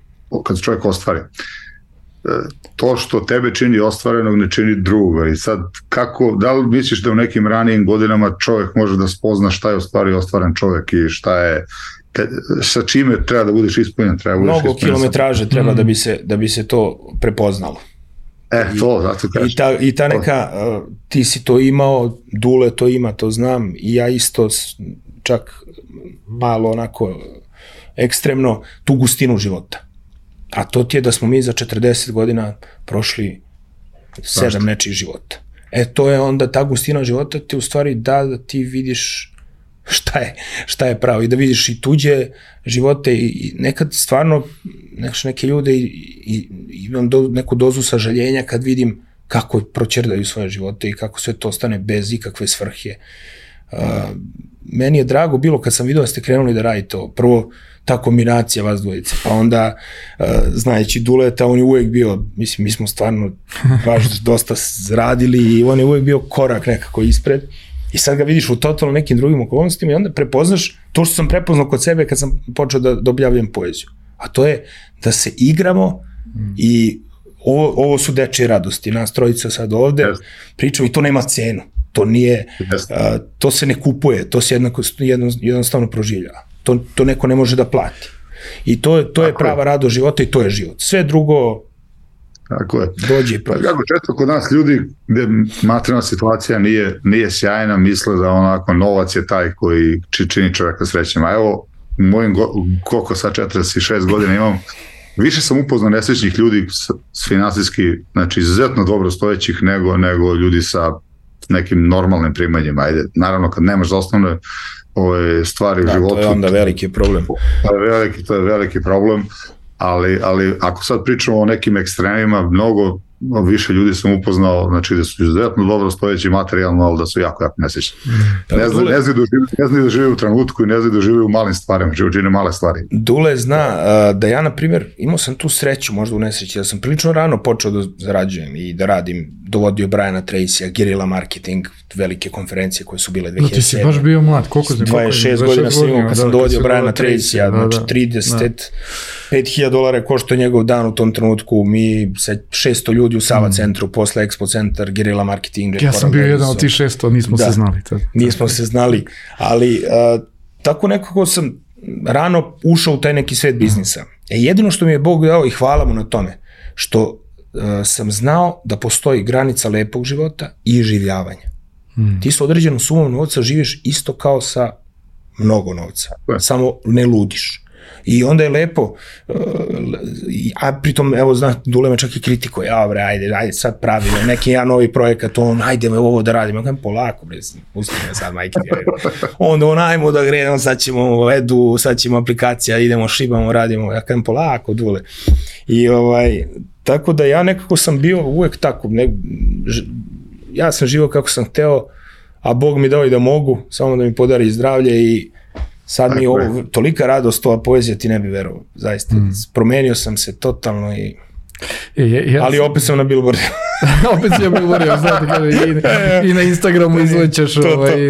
kad se čovjek ostvari. To što tebe čini ostvarenog ne čini druga. I sad, da li misliš da u nekim ranijim godinama čovjek može da spozna šta je u stvari ostvaren čovjek i šta je, sa čime treba da budeš ispunjen? Mnogo kilometraže treba da bi se to prepoznalo. Zato kažem. I ta neka, ti si to imao, Dule to ima, to znam, i ja isto čak malo onako ekstremno tu gustinu života. A to ti je da smo mi za 40 godina prošli 7 nečih života. To je onda ta gustina života ti u stvari da ti vidiš šta je pravo i da vidiš i tuđe živote i nekad stvarno neke ljude imam neku dozu sažaljenja kad vidim kako proćerdaju svoje živote i kako sve to ostane bez ikakve svrhe. Meni je drago bilo kad sam vidio da ste krenuli da radite to. Prvo, ta kombinacija vas dvojice, pa onda znajući Duleta, on je uvijek bio, mislim, mi smo stvarno baš dosta radili i on je uvijek bio korak nekako ispred i sad ga vidiš u totalno nekim drugim okolnostima i onda prepoznaš to što sam prepoznao kod sebe kad sam počeo da objavljam poeziju, a to je da se igramo i ovo su dečije radosti, nas trojica sad ovde pričamo i to nema cenu, to nije, to se ne kupuje, to se jednostavno proživljava. To neko ne može da plati. I to je prava radost života i to je život. Sve drugo dođe i prođe. Kako često kod nas ljudi gde materijalna situacija nije sjajna, misle da onako novac je taj koji čini čovjeka srećnim. A evo, mojim koliko sad 46 godina imam, više sam upoznao nesrećnih ljudi s finansijski, znači izuzetno dobro stojećih nego ljudi sa nekim normalnim primanjima. Ajde, naravno kad nemaš za osnovne stvari u životu. To je onda veliki problem. To je veliki problem, ali ako sad pričamo o nekim ekstremima, više ljudi sam upoznao, znači da su izuzetno dobro stojeći materijalno, ali da su jako nesrećni. Ne znaju da žive u trenutku i ne znaju da žive u malim stvarima, čine male stvari. Dule zna da ja, na primjer, imao sam tu sreću, možda u nesreći, da sam prilično rano počeo da zarađujem i da radim, dovodio Briana Tracyja, Guerrilla Marketing, velike konferencije koje su bile 2007. Ti si baš bio mlad, koliko si? 26 godina sam imao kad sam dovodio Briana Tracyja, znači $35.000 košto njegov dan u tom trenutku, mi 600 ljudi u Sava centru, posle Expo centar, Guerrilla Marketing. Ja sam bio jedan od tih 600, nismo se znali. Nismo se znali, ali tako nekako sam rano ušao u taj neki svet biznisa. Jedino što mi je Bog dao i hvala mu na tome, što sam znao da postoji granica lepog života i življavanja. Ti sa određenom sumom novca živiš isto kao sa mnogo novca, samo ne ludiš. I onda je lepo, a pritom, evo, Dule me čak i kritikuje, ajde, sad pravimo neki jedan novi projekat, ajde me ovo da radimo, ja kažem, polako, pusti me sad, majke, onda ajmo da gredemo, sad ćemo edu, sad ćemo aplikacija, idemo, šibamo, radimo, ja kažem, polako, Dule. I tako da ja nekako sam bio uvek tako, ja sam živao kako sam hteo, a Bog mi dao i da mogu, samo da mi podari zdravlje i sad mi je ovo tolika radost, ova poezija, ti ne bi verovao, zaista. Promenio sam se totalno i... ali opet sam na billboardu. Opet si na billboardu, znate kada i na Instagramu izlećeš.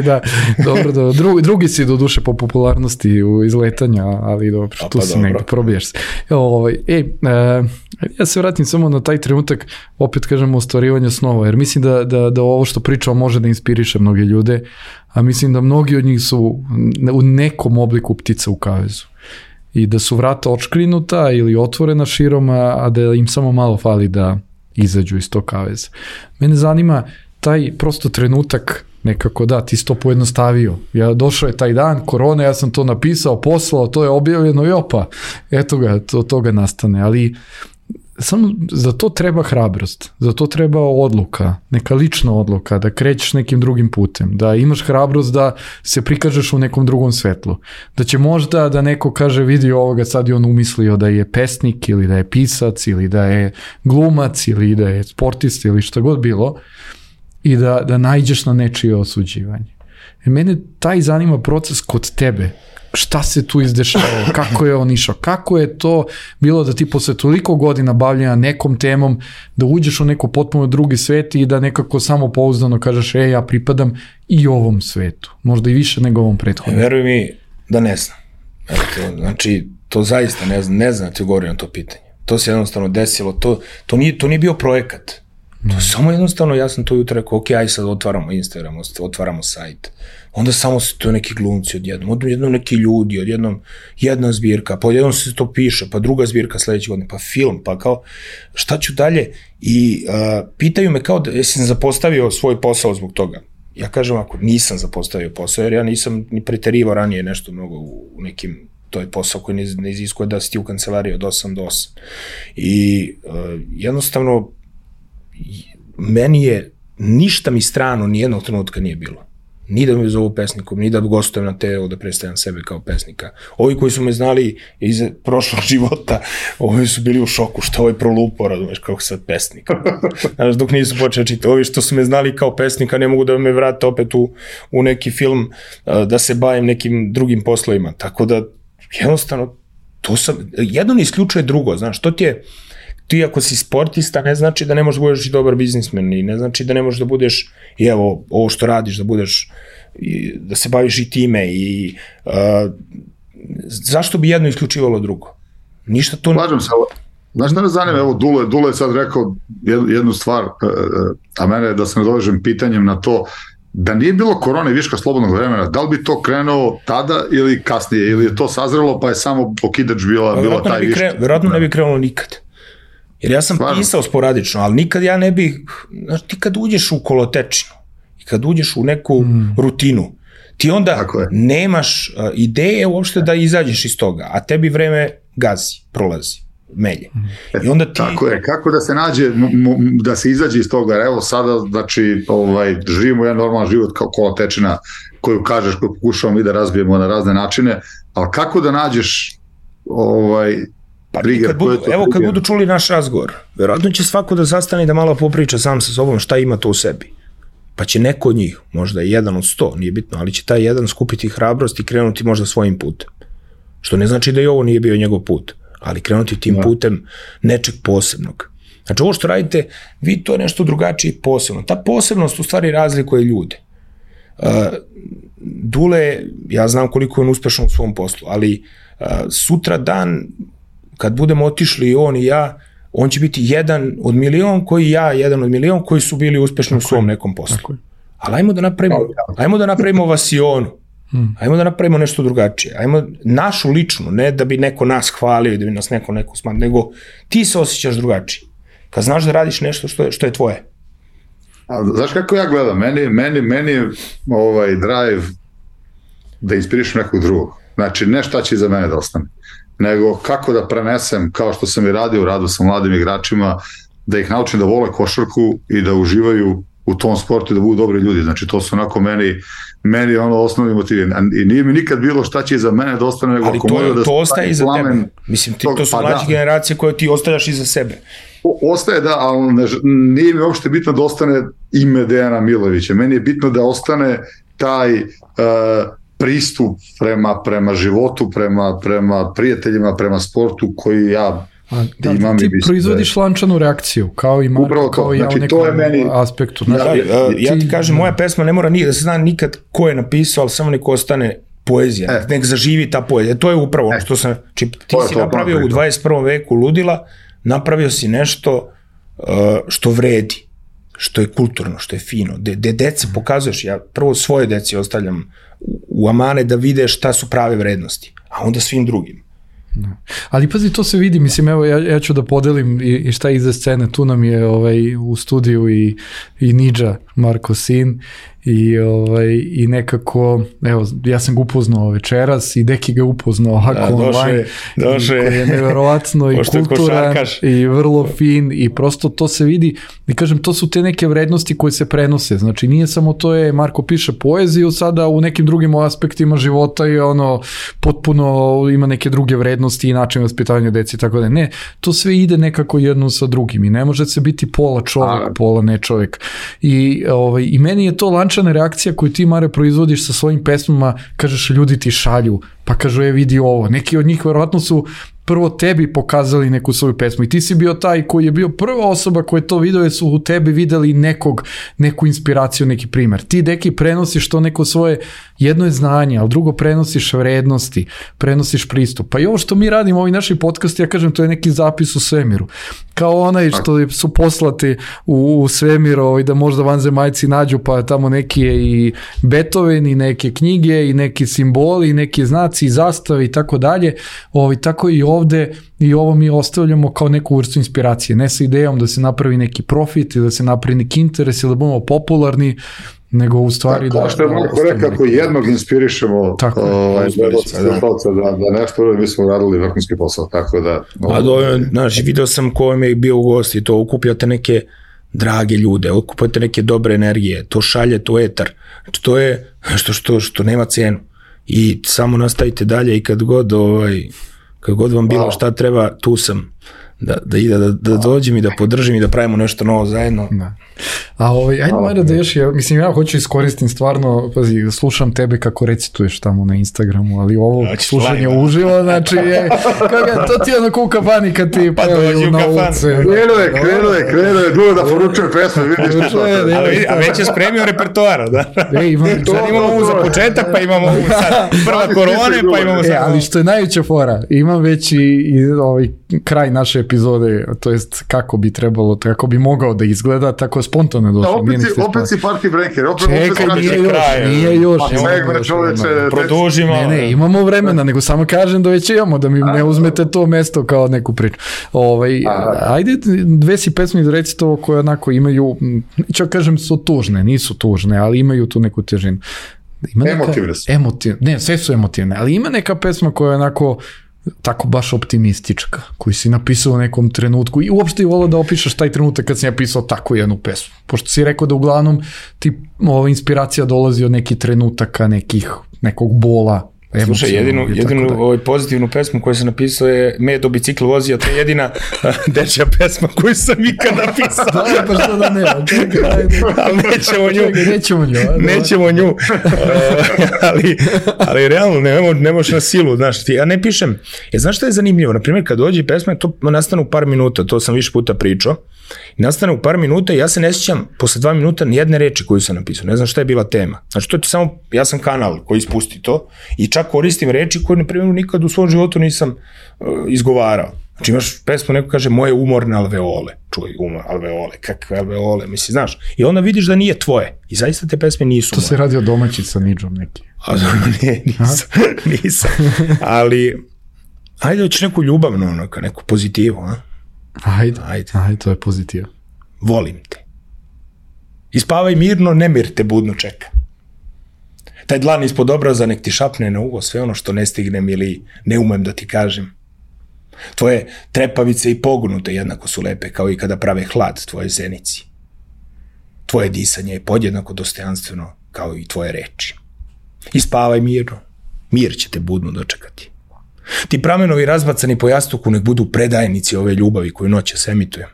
Da. Dobro. Drugi si do duše po popularnosti u izletanja, ali dobro, tu si negdje, probiješ se. Ja se vratim samo na taj trenutak, opet kažemo, ostvarivanja snova, jer mislim da ovo što pričamo može da inspiriše mnoge ljude, a mislim da mnogi od njih su u nekom obliku ptica u kavezu. I da su vrata očkrinuta ili otvorena širom, a da im samo malo fali da izađu iz tog kaveza. Mene zanima taj prosto trenutak nekako, da, ti si to pojednostavio. Došao je taj dan, korona, ja sam to napisao, poslao, to je objavljeno i opa, eto ga, toga nastane. Ali samo za to treba hrabrost, za to treba odluka, neka lična odluka, da krećeš nekim drugim putem, da imaš hrabrost da se prikažeš u nekom drugom svetlu, da će možda da neko kaže vidi ovoga, sad je on umislio da je pesnik ili da je pisac ili da je glumac ili da je sportista ili šta god bilo i da naiđeš na nečije osuđivanje. Mene taj zanima proces kod tebe. Šta se tu izdešavalo, kako je on išao, kako je to bilo da ti posle toliko godina bavljanja nekom temom, da uđeš u neko potpuno drugi svet i da nekako samo pouzdano kažeš, ja pripadam i ovom svetu, možda i više nego ovom prethodnom. Veruj mi da ne znam. Znači, to zaista ne znam da ti govorim na to pitanje. To se jednostavno desilo, to nije bio projekat. To je samo jednostavno, ja sam to jutro rekao, ok, aj sad otvaramo Instagram, otvaramo sajt. Onda samo se to neki glumci odjednom neki ljudi, odjednom jedna zbirka, pa odjednom se to piše, pa druga zbirka sledeće godine, pa film, pa kao šta ću dalje? I pitaju me kao da jesam zapostavio svoj posao zbog toga. Ja kažem ako nisam zapostavio posao, jer ja nisam ni preterivao ranije nešto mnogo u nekim, to je posao koji ne iziskuje da si ti u kancelariji od 8 do 8. I jednostavno meni je, ništa mi strano nijednog trenutka nije bilo. Ni da me zovu pesnikom, ni da gostujem na TV, da predstavljam sebe kao pesnika. Ovi koji su me znali iz prošlog života, ovi su bili u šoku, što ovaj prolupao, razumeš, kako sad pesnik. Znaš, dok nisu počeli čitati. Ovi što su me znali kao pesnika ne mogu da me vrate opet u neki film, da se bavim nekim drugim poslovima. Tako da, jednostavno, jedno ne isključuje drugo, znaš, to ti je, ti ako si sportista ne znači da ne možeš da budeš i dobar biznismen i ne znači da ne možeš da budeš, i evo, ovo što radiš, da budeš, da se baviš i time i zašto bi jedno isključivalo drugo? Ništa to... Slažem se, znaš da me zanima, evo Dule je sad rekao jednu stvar, a mene je da se nadovežem pitanjem na to, da nije bilo korone i viška slobodnog vremena, da li bi to krenuo tada ili kasnije, ili je to sazrelo pa je samo okidač bila taj viška? Verovatno ne bi krenulo nikad. Jer ja sam pisao sporadično, ali nikad ja ne bih, znaš, ti kad uđeš u kolotečinu i kad uđeš u neku rutinu, ti onda nemaš ideje uopšte da izađeš iz toga, a tebi vreme gazi, prolazi, melje. I onda ti... Tako je, kako da se nađe, da se izađe iz toga, evo sada, znači, živimo jedan normalan život kao kolotečina koju kažeš, koju pokušavamo i da razbijemo na razne načine, ali kako da nađeš Pa kad budu čuli naš razgovor, verovatno će svako da zastane i da malo popriča sam sa sobom šta ima to u sebi. Pa će neko od njih, možda jedan od 100, nije bitno, ali će taj jedan skupiti hrabrost i krenuti možda svojim putem. Što ne znači da i ovo nije bio njegov put, ali krenuti tim putem nečeg posebnog. Znači ovo što radite, vi to je nešto drugačije i posebno. Ta posebnost u stvari razlikuje ljude. Dule, ja znam koliko je on uspešan u svom poslu, ali sutra dan, kad budemo otišli on i ja, on će biti jedan od milion jedan od milion koji su bili uspešni u svom nekom poslu. Ali ajmo da napravimo vasionu. Ajmo da napravimo nešto drugačije. Ajmo našu ličnu, ne da bi neko nas hvalio i da bi nas neko smanjio, nego ti se osjećaš drugačije. Kad znaš da radiš nešto što je tvoje. Znaš kako ja gledam? Meni je drive da inspirišem nekog drugog. Znači, ne šta će iza mene da ostane, nego kako da prenesem, kao što sam i radio sa mladim igračima, da ih naučim da vole košarku i da uživaju u tom sportu i da budu dobri ljudi. Znači, to su onako meni osnovni motivi. I nije mi nikad bilo šta će iza mene da ostane, nego ali to ostaje iza tebe. Mislim, to su mlađe generacije koje ti ostavljaš iza sebe. Ostaje, da, ali nije mi uopšte bitno da ostane ime Dejana Milovića. Meni je bitno da ostane taj pristup prema životu, prema prijateljima, prema sportu koji ja imam. Ti proizvodiš lančanu reakciju, kao i Marko, kao i ja u nekom aspektu. Ja ti kažem, moja pesma ne mora da se zna nikad ko je napisao, ali samo neko ostane poezija, nek zaživi ta poezija. To je upravo ono što sam... Ti si napravio u 21. veku ludila, napravio si nešto što vredi, što je kulturno, što je fino, gde dece pokazuješ, ja prvo svoje deci ostavljam u amane da vide šta su prave vrednosti, a onda svim drugim. Ali pazi, to se vidi, mislim, evo ja ću da podelim i šta iza scene, tu nam je u studiju i Nidža, Marko sin, i nekako, evo, ja sam ga upoznao večeras i Deki ga upoznao ovako online, koji je neverovatno i kulturan i vrlo fin i prosto to se vidi i kažem, to su te neke vrednosti koje se prenose, znači nije samo to je, Marko piše poeziju sada u nekim drugim aspektima života i potpuno ima neke druge vrednosti i način vaspitavanja deci i tako da ne, to sve ide nekako jedno sa drugim i ne može se biti pola čovjek, pola ne čovjek i meni je to lančana reakcija koju ti, Mare, proizvodiš sa svojim pesmama, kažeš ljudi ti šalju, pa kažu vidi ovo, neki od njih verovatno su prvo tebi pokazali neku svoju pesmu i ti si bio taj koji je bio prva osoba koja je to video jer su u tebi videli neku inspiraciju, neki primer. Ti, Deki, prenosiš to neko svoje, jedno je znanje, ali drugo prenosiš vrednosti, prenosiš pristup. Pa i ovo što mi radimo, ovi naši podcasti, ja kažem, to je neki zapis u svemiru. Kao onaj što su poslati u svemir i da možda vanzemaljci nađu pa tamo neki i Beethoven i neke knjige i neki simboli i neki znaci i zastave i tako dalje. Tako i ovde i ovo mi ostavljamo kao neku vrstu inspiracije. Ne sa idejom da se napravi neki profit ili da se napravi neki interes ili da budemo popularni, nego u stvari da... Što je Marko rekao, kako jednog inspirišemo da nešto mi smo radili vrhunski posao, tako da... Znaš, video sam ko vam je bio u gosti, to okupljate neke drage ljude, okupljate neke dobre energije, to šalje, to etar, znači to je što nema cenu i samo nastavite dalje i kad god vam bilo šta treba, tu sam da dođem i da podržim i da pravimo nešto novo zajedno. Ajde Mara da još, mislim ja hoću iskoristim stvarno, pazi, slušam tebe kako recituješ tamo na Instagramu, ali ovo slušanje uživo, znači to ti je ono kuka bani kad ti pevaju na ulici. Krenuo je, dugo da poručujem pesme, vidiš što. A već je spremio repertoara, da? Sad imamo ovu za početak, pa imamo ovu sad prva korone, pa imamo sad. Ali što je najveća fora, imam već i kraj naše epizode, to jest kako bi trebalo, kako bi mogao da izgleda, tako spontano došlo. Opet si party breaker, čekaj, nije još. Produžimo. Ne, imamo vremena, nego samo kažem da već imamo, da mi ne uzmete to mesto kao neku priču. Ajde, dve si pesme izreci to koje onako imaju, ću kažem su tužne, nisu tužne, ali imaju tu neku težinu. Emotivne. Ne, sve su emotivne, ali ima neka pesma koja je onako tako baš optimistička, koju si napisao u nekom trenutku i uopšte je volao da opišeš taj trenutak kad si napisao tako jednu pesmu. Pošto si rekao da uglavnom ti inspiracija dolazi od nekih trenutaka, nekog bola, Slušaj, jedinu pozitivnu pesmu koju sam napisao je Medo bicikl vozio, to je jedina dečja pesma koju sam ikad napisao. Da, pa što da ne, ali nećemo nju. Ali realno, ne možeš na silu, znaš, ja ne pišem. Znaš što je zanimljivo? Naprimjer, kad dođe pesma, to nastane u par minuta, to sam više puta pričao, i nastane u par minuta i ja se ne sjećam posle 2 minuta nijedne reči koju sam napisao, ne znam šta je bila tema. Znači, to ti samo, ja sam kanal koji ispusti to i čak koristim reči koje, na primjer, nikad u svom životu nisam izgovarao. Znači, imaš pesmu, neko kaže moje umorne alveole, čuj, alveole, kakve alveole, misli, znaš, i onda vidiš da nije tvoje i zaista te pesme nisu moje. To se radi o domaći sa Nidžom neki. Nisam, ali ajde hoćeš neku ljubavnu, neku pozitivu, a? Ajde, to je pozitiv. Volim te. Ispavaj mirno, nemir te budno čeka. Taj dlan ispod obraza nek ti šapne na uvo sve ono što ne stignem ili ne umem da ti kažem. Tvoje trepavice i pognute jednako su lepe kao i kada prave hlad tvoje zenici. Tvoje disanje je podjednako dostojanstveno kao i tvoje reči. Ispavaj mirno, mir će te budno dočekati. Ti pramenovi razbacani po jastuku nek budu predajnici ove ljubavi koju noćas emitujem.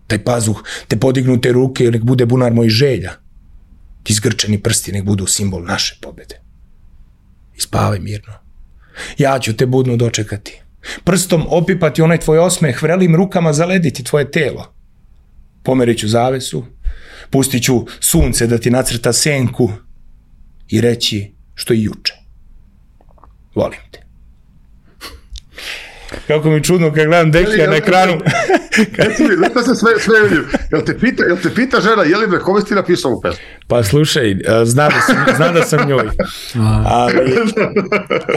Taj pazuh, te podignute ruke nek bude bunar mojih želja. Ti zgrčeni prsti nek budu simbol naše pobede. Ispavaj mirno. Ja ću te budno dočekati. Prstom opipati onaj tvoj osmeh, vrelim rukama zalediti tvoje telo. Pomerit ću zavesu, pustit ću sunce da ti nacrta senku i reći što i juče. Volim te. Kako mi čudno kad gledam Dekija na ekranu. Zato se sve vidim. Jel te pita žena, je li me kome si ti napisao u pesmu? Pa slušaj, zna da sam njoj.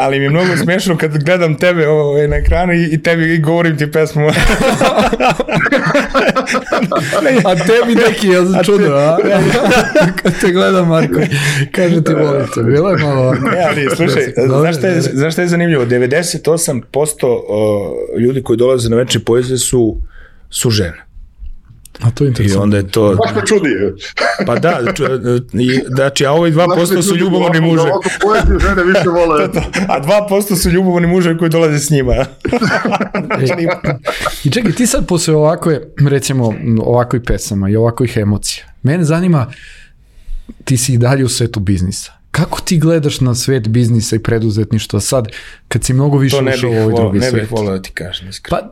Ali mi je mnogo smiješno kad gledam tebe na ekranu i tebi govorim ti pesmu. A tebi neki, ja sam čudno, a? Kad te gledam, Marko, kaže ti volim te. Bilo je malo... Slušaj, znaš šta je zanimljivo? 98% ljudi koji dolaze na večer poezije su žene. A to je interesantno. I onda je to... Baš me čudi. Pa da, znači, a ovi 2% su ljubomorni muže. Poeziju žene više vole. A 2% su ljubomorni muže koji dolaze s njima. I čekaj, ti sad posle ovakve, recimo, ovakvih pesama i ovakvih emocija, mene zanima, ti si i dalje u svetu biznisa. Kako ti gledaš na svet biznisa i preduzetništva sad, kad si mnogo više ušao u ovaj drugi svet? Ne bih volio da ti kažem, iskreno. Pa,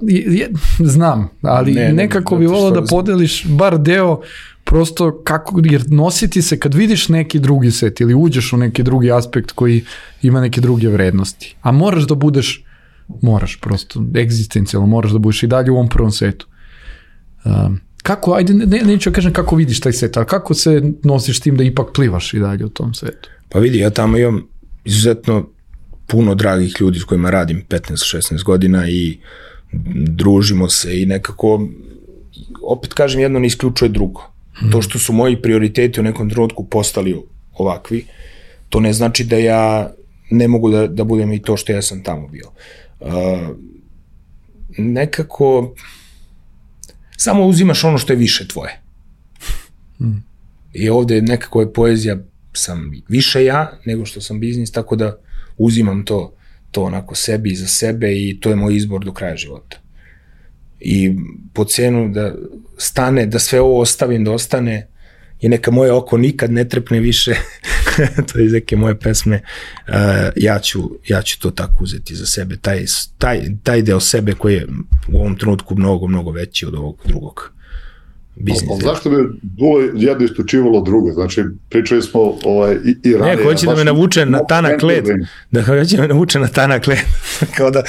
znam, ali nekako bi volio da podeliš bar deo, prosto kako, jer nositi se kad vidiš neki drugi svet ili uđeš u neki drugi aspekt koji ima neke druge vrednosti. A moraš da budeš, prosto, egzistencijalno, moraš da budeš i dalje u ovom prvom svetu. Kako, ajde, neću kažem kako vidiš taj svet, ali kako se nosiš s tim da ipak plivaš i dalje u tom svetu? Pa vidi, ja tamo imam izuzetno puno dragih ljudi s kojima radim 15-16 godina i družimo se i nekako, opet kažem, jedno ne isključuje drugo. To što su moji prioriteti u nekom trenutku postali ovakvi, to ne znači da ja ne mogu da budem i to što ja sam tamo bio. Nekako samo uzimaš ono što je više tvoje. I ovde nekako je poezija, sam više ja nego što sam biznis, tako da uzimam to onako sebi i za sebe i to je moj izbor do kraja života. I po cenu da stane, da sve ovo ostavim, da ostane i neka moje oko nikad ne trepne više, to je iz neke moje pesme, ja ću to tako uzeti za sebe, taj deo sebe koji je u ovom trenutku mnogo, mnogo veći od ovog drugog biznisa. Zašto bi bilo jedno istučivalo drugo? Znači, pričali smo i ranije. Ne, hoće da me navuče na tanak led. Hoće da me navuče na tanak led. Kao da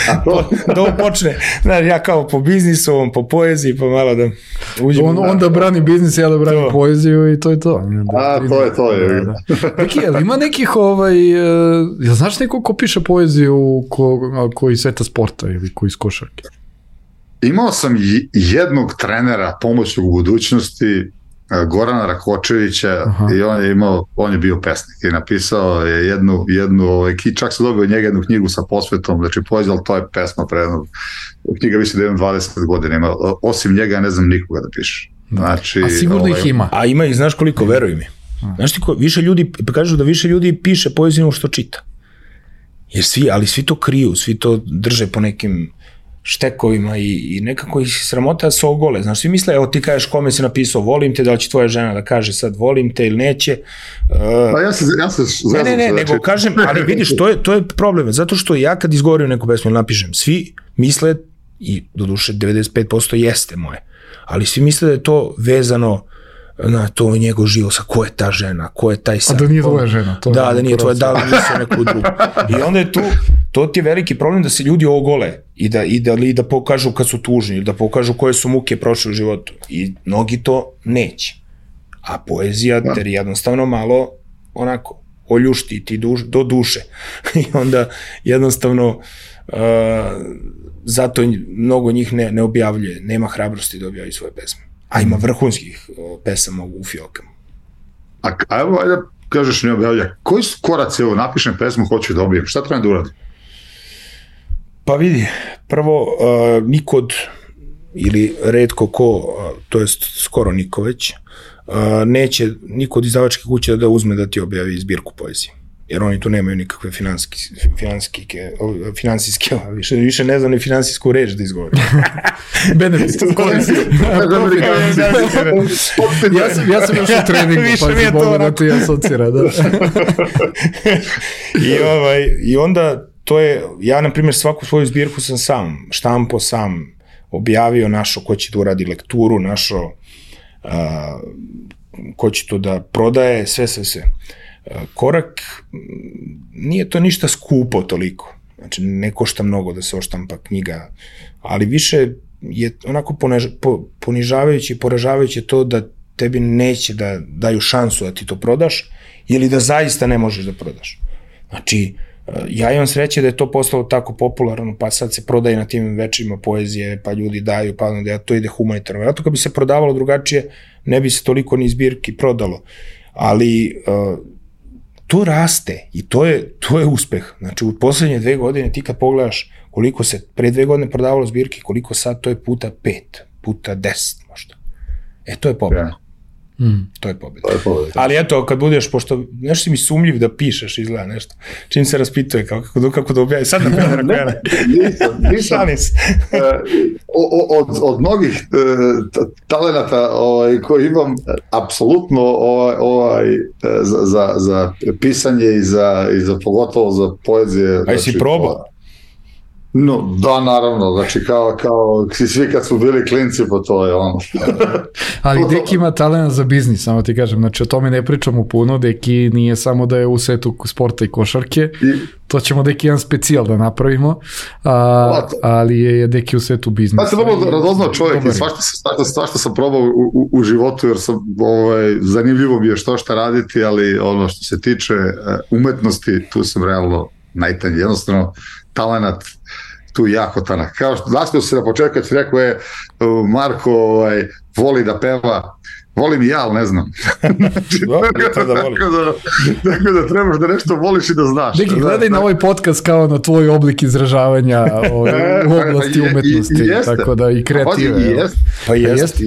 ovo počne. Znaš, ja kao po biznisu, po poeziji, pa malo da uđem. On da brani biznis, ja da brani poeziju i to je to. To je. Ima nekih, ja znaš neko ko piše poeziju koji sveta sporta ili koji iz košarke? Imao sam jednog trenera pomoćnog u budućnosti, Gorana Rakočevića, i on je bio pesnik i napisao je jednu čak se dobio od njega jednu knjigu sa posvetom, znači poezija, ali to je pesma prednog. Knjiga više da imam 20 godina, ima, osim njega ne znam nikoga da piše. Znači, a sigurno ih ima. A ima ih, znaš koliko, veruj mi. Znaš ti više ljudi, kažu da više ljudi piše poeziju što čita. Jer svi to kriju, svi to drže po nekim štekovima i nekako ih sramota se ogole. Znaš, svi misle, evo ti kažeš kome si napisao volim te, da li će tvoja žena da kaže sad volim te ili neće. Ne, nego kažem, ali vidiš, to je problem. Zato što ja kad izgovorim neku pesmu ili napišem, svi misle, i doduše 95% jeste moje, ali svi misle da je to vezano na to njegov život, sa ko je ta žena, ko je taj sad. A da nije tvoja žena. Da nije tvoja, da li misle neku drugu. I onda je tu, to ti je veliki problem da se ljudi ogole i da pokažu kad su tužni, ili da pokažu koje su muke prošle u životu. I mnogi to neće. A poezija ter jednostavno malo onako oljušti ti do duše. I onda jednostavno zato mnogo njih ne objavljuje, nema hrabrosti da objavljaju svoje pesme. A ima vrhunskih pesama u fiokama. A evo, ajde kažeš ne objavlja, koji su koraci, evo, napišem pesmu, hoću da obijem, šta treba da uradim? Pa vidi, prvo, nikod, ili redko ko, to jest skoro niko već, neće niko od izdavačke kuće da uzme da ti objavi zbirku poezije. Jer oni tu nemaju nikakve finansijske, više ne znam ni finansijsku reč da izgovorim. Benefit. Ja sam još u treningu, pa si Boga da ti asocira. I onda to je, ja na primjer svaku svoju zbirku sam sam, štampo sam, objavio, našo ko će da uradi lekturu, našo ko će to da prodaje, sve. Korak, nije to ništa skupo toliko, znači ne košta mnogo da se oštampa knjiga, ali više je onako ponižavajuće i poražavajuće to da tebi neće da daju šansu da ti to prodaš ili da zaista ne možeš da prodaš. Znači, ja imam sreće da je to postalo tako popularno, pa sad se prodaje na tim večerima poezije, pa ljudi daju, pa onda to ide humanitarno. Vjerojatno kad bi se prodavalo drugačije, ne bi se toliko ni zbirki prodalo. Ali to raste i to je uspeh. Znači, u poslednje 2 godine ti kad pogledaš koliko se pre 2 godine prodavalo zbirki, koliko sad, to je puta 5, puta 10 možda. To je pobjeda. To je pobjeda. Ali eto, kad budeš, pošto nešto si mi sumljiv da pišeš, izgleda nešto, čim se raspituje kako da objavi. Sad nisam. Od mnogih talenata koji imam, apsolutno za pisanje i za pogotovo za poezije. A jesi probao? No, da, naravno, znači kao svi kad su bili klinci, pa to je ono. Ali Deki ima talent za biznis, samo ti kažem, znači o tome ne pričamo puno, Deki nije samo da je u svetu sporta i košarke, to ćemo Deki jedan specijal da napravimo, ali je Deki u svetu biznisa. Ja sam vrlo radoznao čovjek i svašta sam probao u životu, jer sam, zanimljivo mi je što raditi, ali ono što se tiče umetnosti, tu sam realno najtanji, jednostavno talenat tu jako tanak. Kao što naspio se na početku kad si rekao Marko voli da peva, volim i ja, ali ne znam. Tako da trebaš da nešto voliš i da znaš. Deki, gledaj na ovaj podcast kao na tvoj oblik izražavanja u oblasti umetnosti, tako da i kreative. Pa jeste.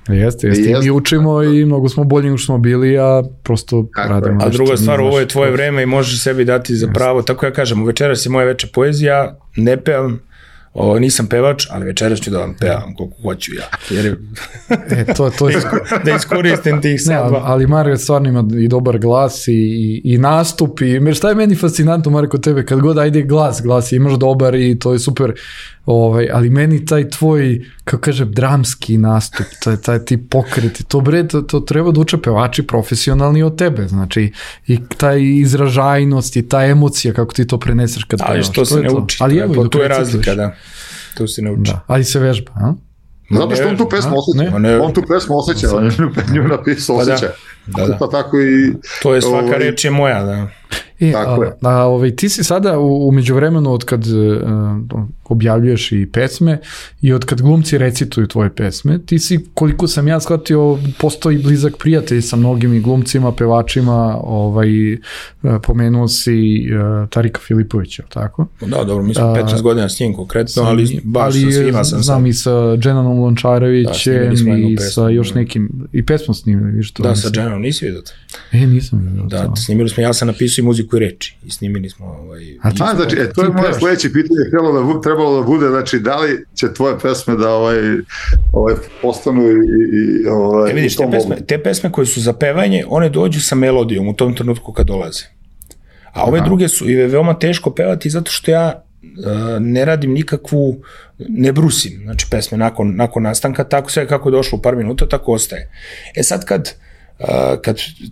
Jeste. Mi učimo i mnogo smo bolji nego što smo bili, a prosto radimo. A druga stvar, ovo je tvoje vreme i možeš sebi dati za pravo. Tako ja kažem, večeras je moja večer poezija, ne pevam, nisam pevač, ali večeras ću da vam pevam koliko hoću ja. Jer to je da iskoristim tih sadba. Ali Marko stvarno ima i dobar glas i nastup. Šta je meni fascinantno, Marko, tebe, kad god ajde glas imaš dobar i to je super, ali meni taj tvoj, kako kažem, dramski nastup, taj ti pokreti, to treba da uče pevači profesionalni od tebe, znači i taj izražajnost i ta emocija kako ti to preneseš kad pevaš. Ali što se ne uči, to je razlika, da. To se ne uči. Ali se vežba, a? Zato što on tu pesmu osjeća. On nju napisao osjeća. Pa tako i... To je svaka reč je moja, da. Ti si sada u međuvremenu od kad objavljuješ i pesme i od kad glumci recituju tvoje pesme, ti si, koliko sam ja shvatio, postoji blizak prijatelj sa mnogim i glumcima, pevačima, pomenuo si Tarika Filipovića, tako? Da, dobro, mi smo 15 godina s njim konkretno, ali baš sa svima sam. Znam i sa Dženanom Lončarevićem i sa još nekim, i pesmu snimili. Da, sa Dženanom nisi vidio to? Nisam vidio to. Da, snimili smo, ja sam napisao i muziku muziku i reči i snimili smo znači, to je moje sledeće pitanje, trebalo da bude, znači, da li će tvoje pesme da postanu i vidiš, te pesme koje su za pevanje, one dođu sa melodijom u tom trenutku kad dolaze. A ove druge su i veoma teško pevati zato što ja ne radim nikakvu, ne brusim, znači pesme nakon nastanka, tako sve kako je došlo u par minuta, tako ostaje. Sad kad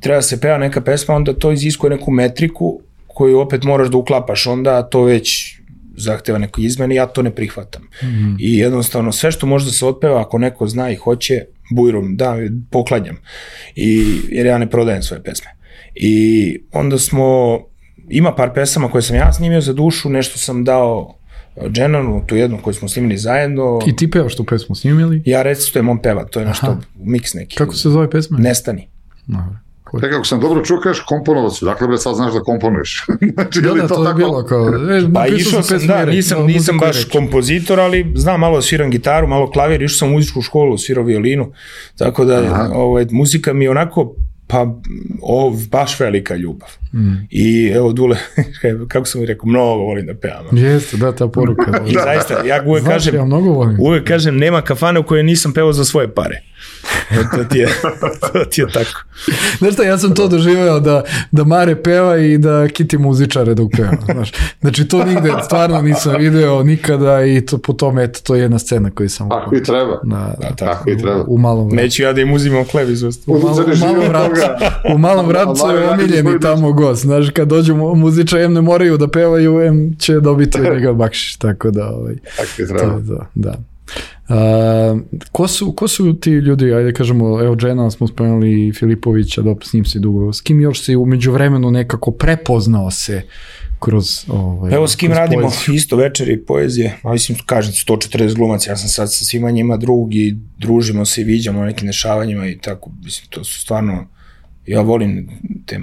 treba se peva neka pesma, onda to iziskuje neku metriku koju opet moraš da uklapaš, onda to već zahteva neko izmene, ja to ne prihvatam. I jednostavno sve što može da se otpeva, ako neko zna i hoće, bujrom, da, poklanjam. Jer ja ne prodajem svoje pesme. I onda ima par pesama koje sam ja snimio za dušu, nešto sam dao Dženanu, tu jednu koju smo snimili zajedno. I ti pevaš tu pesmu snimili? Ja recitujem, on peva, to je nešto miks neki. Kako se zove pesma? Nestani. Tek ako sam dobro čuo, kažeš komponovac, dakle bre sad znaš da komponuješ. Znači, da, to je bilo kao... Pa išao sam, nisam baš kompozitor, ali znam, malo sviram gitaru, malo klavir, išao sam u muzičku školu, svirao violinu, tako da muzika mi je onako, baš velika ljubav. I evo, Dule, kako sam mi rekao, mnogo volim da pevam. Jeste, da, ta poruka. I zaista, ja uvek kažem, nema kafane u kojoj nisam pevao za svoje pare. To ti je tako. Znaš šta, ja sam to doživeo da Mare peva i da kiti muzičare dok peva. Znači to nigde stvarno nisam video nikada i po tome, to je jedna scena koju sam... Tako i treba. Tako i treba. U malom vratu. Neću ja da im uzimam hleb iz usta. U malom vratu je omiljeni tamo gost. Znaš, kad dođu muzičari, ne moraju da pevaju, će dobiti od njega bakšiš. Tako da... Tako i treba. Da. Ko su ti ljudi, ajde kažemo, evo Džena smo spomenuli, Filipovića, s njim si dugo, s kim još si umeđu vremenu nekako prepoznao se kroz evo s kim radimo poeziju. Isto večeri poezije, a mislim, kažem 140 glumaca, ja sam sad sa svima njima drug i družimo se i viđamo na nekim dešavanjima i tako, mislim, to su stvarno, ja volim te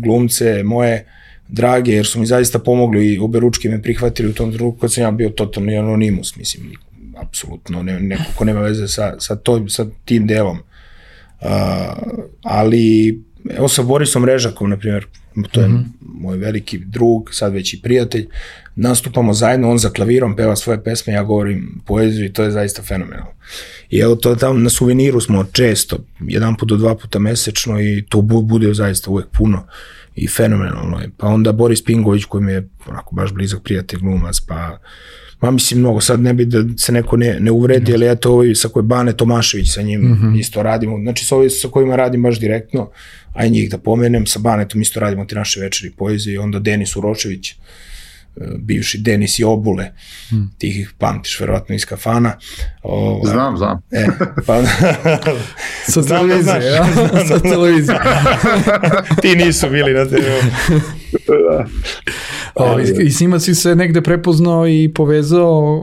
glumce moje drage, jer su mi zaista pomogli i oberučki me prihvatili u tom trenutku kad sam ja bio totalni anonimus, mislim, apsolutno, neko ko nema veze sa tim delom. Ali, evo sa Borisom Režakom, na primjer, to je moj veliki drug, sad već i prijatelj, nastupamo zajedno, on za klavirom peva svoje pesme, ja govorim poeziju i to je zaista fenomenalno. I evo to tamo na Suveniru smo često, 1 do 2 puta mesečno i to bude zaista uvek puno i fenomenalno je. Pa onda Boris Pingović koji mi je onako baš blizak prijatelj glumac, pa mislim mnogo, sad ne bi da se neko ne uvredi, ali eto ovaj sa koje Bane Tomašević, sa njim isto radimo, znači sa ovim sa kojima radim baš direktno, a i njih da pomenem, sa Banetom isto radimo te naše večeri poezije, i onda Denis Uročević, bivši Denis i Obule, ti ih pamtiš verovatno iz kafana. Znam. Sa televizije, ja? Sa televizije. Ti nisu bili na TV. I s njima si se negde prepoznao i povezao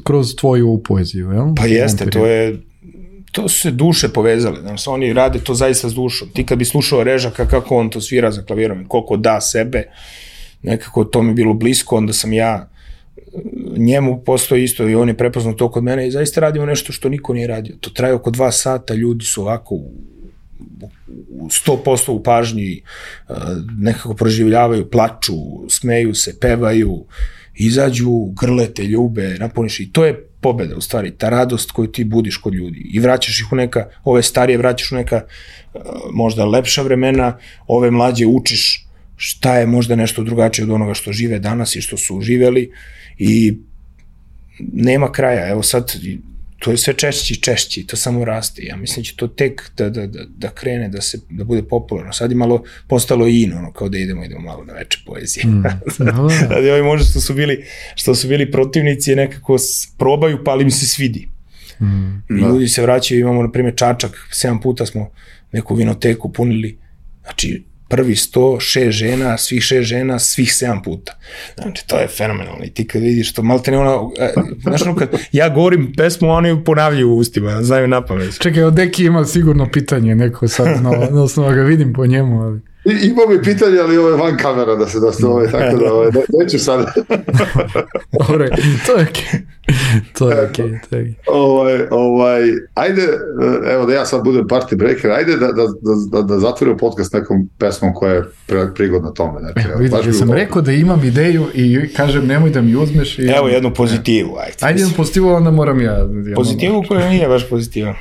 kroz tvoju poeziju, jel? Pa jeste, to su se duše povezale, znači oni rade to zaista s dušom. Ti kad bi slušao Režaka kako on to svira za klavirom, koliko da sebe, nekako to mi bilo blisko, onda sam ja njemu postoji isto i on je prepoznao to kod mene i zaista radimo nešto što niko nije radio. To traje oko 2 sata, ljudi su ovako u 100% u pažnji, nekako proživljavaju, plaču, smeju se, pevaju, izađu, grlete, ljube, napuniš i to je pobeda u stvari, ta radost koju ti budiš kod ljudi i vraćaš ih u neka, ove starije vraćaš u neka možda lepša vremena, ove mlađe učiš šta je možda nešto drugačije od onoga što žive danas i što su živeli i nema kraja, evo sad to je sve češći, to samo raste, ja mislim će to tek da krene, da bude popularno, sad je malo postalo in, ono kao da idemo malo na veče poezije, sad je ovi možda što su bili protivnici nekako probaju pa ali mi se svidi i ljudi se vraćaju, imamo na primjer Čačak, 7 puta smo neku vinoteku punili, znači prvi 106 žena, svih 6 žena, svih 7 puta. Znači, to je fenomenalno. I ti kad vidiš to, malte ne ono, znaš ono kad ja govorim pesmu, oni ponavljaju u ustima, znaju na pamet. Čekaj, od Deki ima sigurno pitanje neko sad, na osnovu ga vidim po njemu, ali... Ima mi pitanje, ali ovo je van kamera da se tako da neću sad. Dobre, to je To je okej. Ajde, evo da ja sad budem party breaker, ajde da zatvorimo podcast nekom pesmom koja je prigodna tome. Znači, vidiš, ja sam rekao da imam ideju i kažem nemoj da mi uzmeš. Evo jednu pozitivu. Ajde jednu pozitivu, onda moram ja. Pozitivu koja nije baš pozitiva.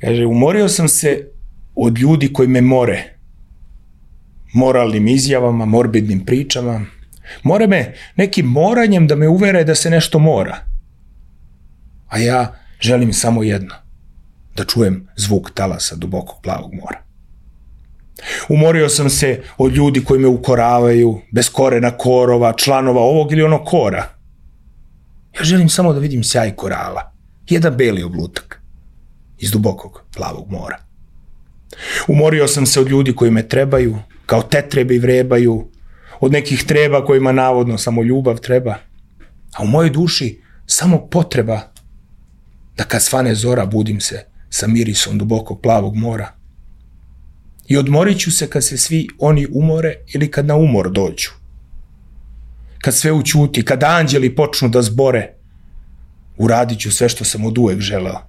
Kaže, umorio sam se od ljudi koji me more. Moralnim izjavama, morbidnim pričama. More me nekim moranjem da me uvere da se nešto mora. A ja želim samo jedno. Da čujem zvuk talasa dubokog plavog mora. Umorio sam se od ljudi koji me ukoravaju, bez korena korova, članova ovog ili onog kora. Ja želim samo da vidim sjaj korala. Jedan beli oblutak iz dubokog plavog mora. Umorio sam se od ljudi koji me trebaju, kao tetrebe i vrebaju, od nekih treba kojima navodno samo ljubav treba, a u mojoj duši samo potreba da kad svane zora budim se sa mirisom dubokog plavog mora. I odmorit ću se kad se svi oni umore ili kad na umor dođu. Kad sve ućuti, kad anđeli počnu da zbore, uradit ću sve što sam od uvek želeo,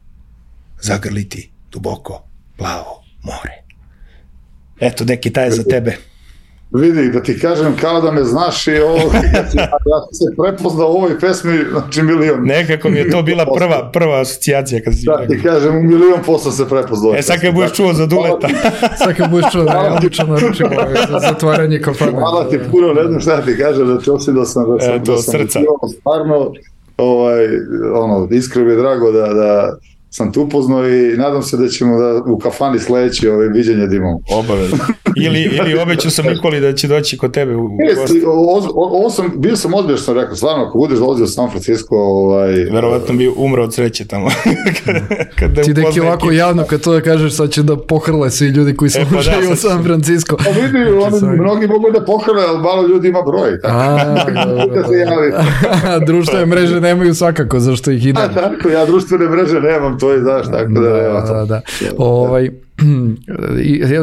zagrliti duboko plavo more. Eto, neki taj za tebe. Vidi, da ti kažem kao da me znaš i ovo, ja se prepoznao u ovoj pesmi, znači milion. Nekako mi je to bila prva asocijacija. Kad si da, ti kažem, u 1.000.000% se prepoznao. Sad kad budeš čuo za Duleta. Sad kad budeš čuo da je odlično naručimo za zatvaranje kafane. Hvala ti puno, ne znam šta ti kažem, znači osjećao sam da sam stvarno, iskreno mi je drago da sam tu upoznao i nadam se da ćemo u kafani sledeći viđenje da imamo. Obavezno. Ili obećao sam Nikoli da će doći kod tebe u gosti. Bio sam odbio što sam rekao, stvarno, ako budeš dolazio u San Francisco... Verovatno bi umro od sreće tamo. Ti deki ovako javno kad to da kažeš, sad će da pohrle svi ljudi koji slušaju u San Francisco. Pa vidi, mnogi mogu da pohrle, ali malo ljudi ima broj. Društvene mreže nemaju svakako, zašto ih idem. Tako, ja društvene mreže nemam, to je znaš, tako da.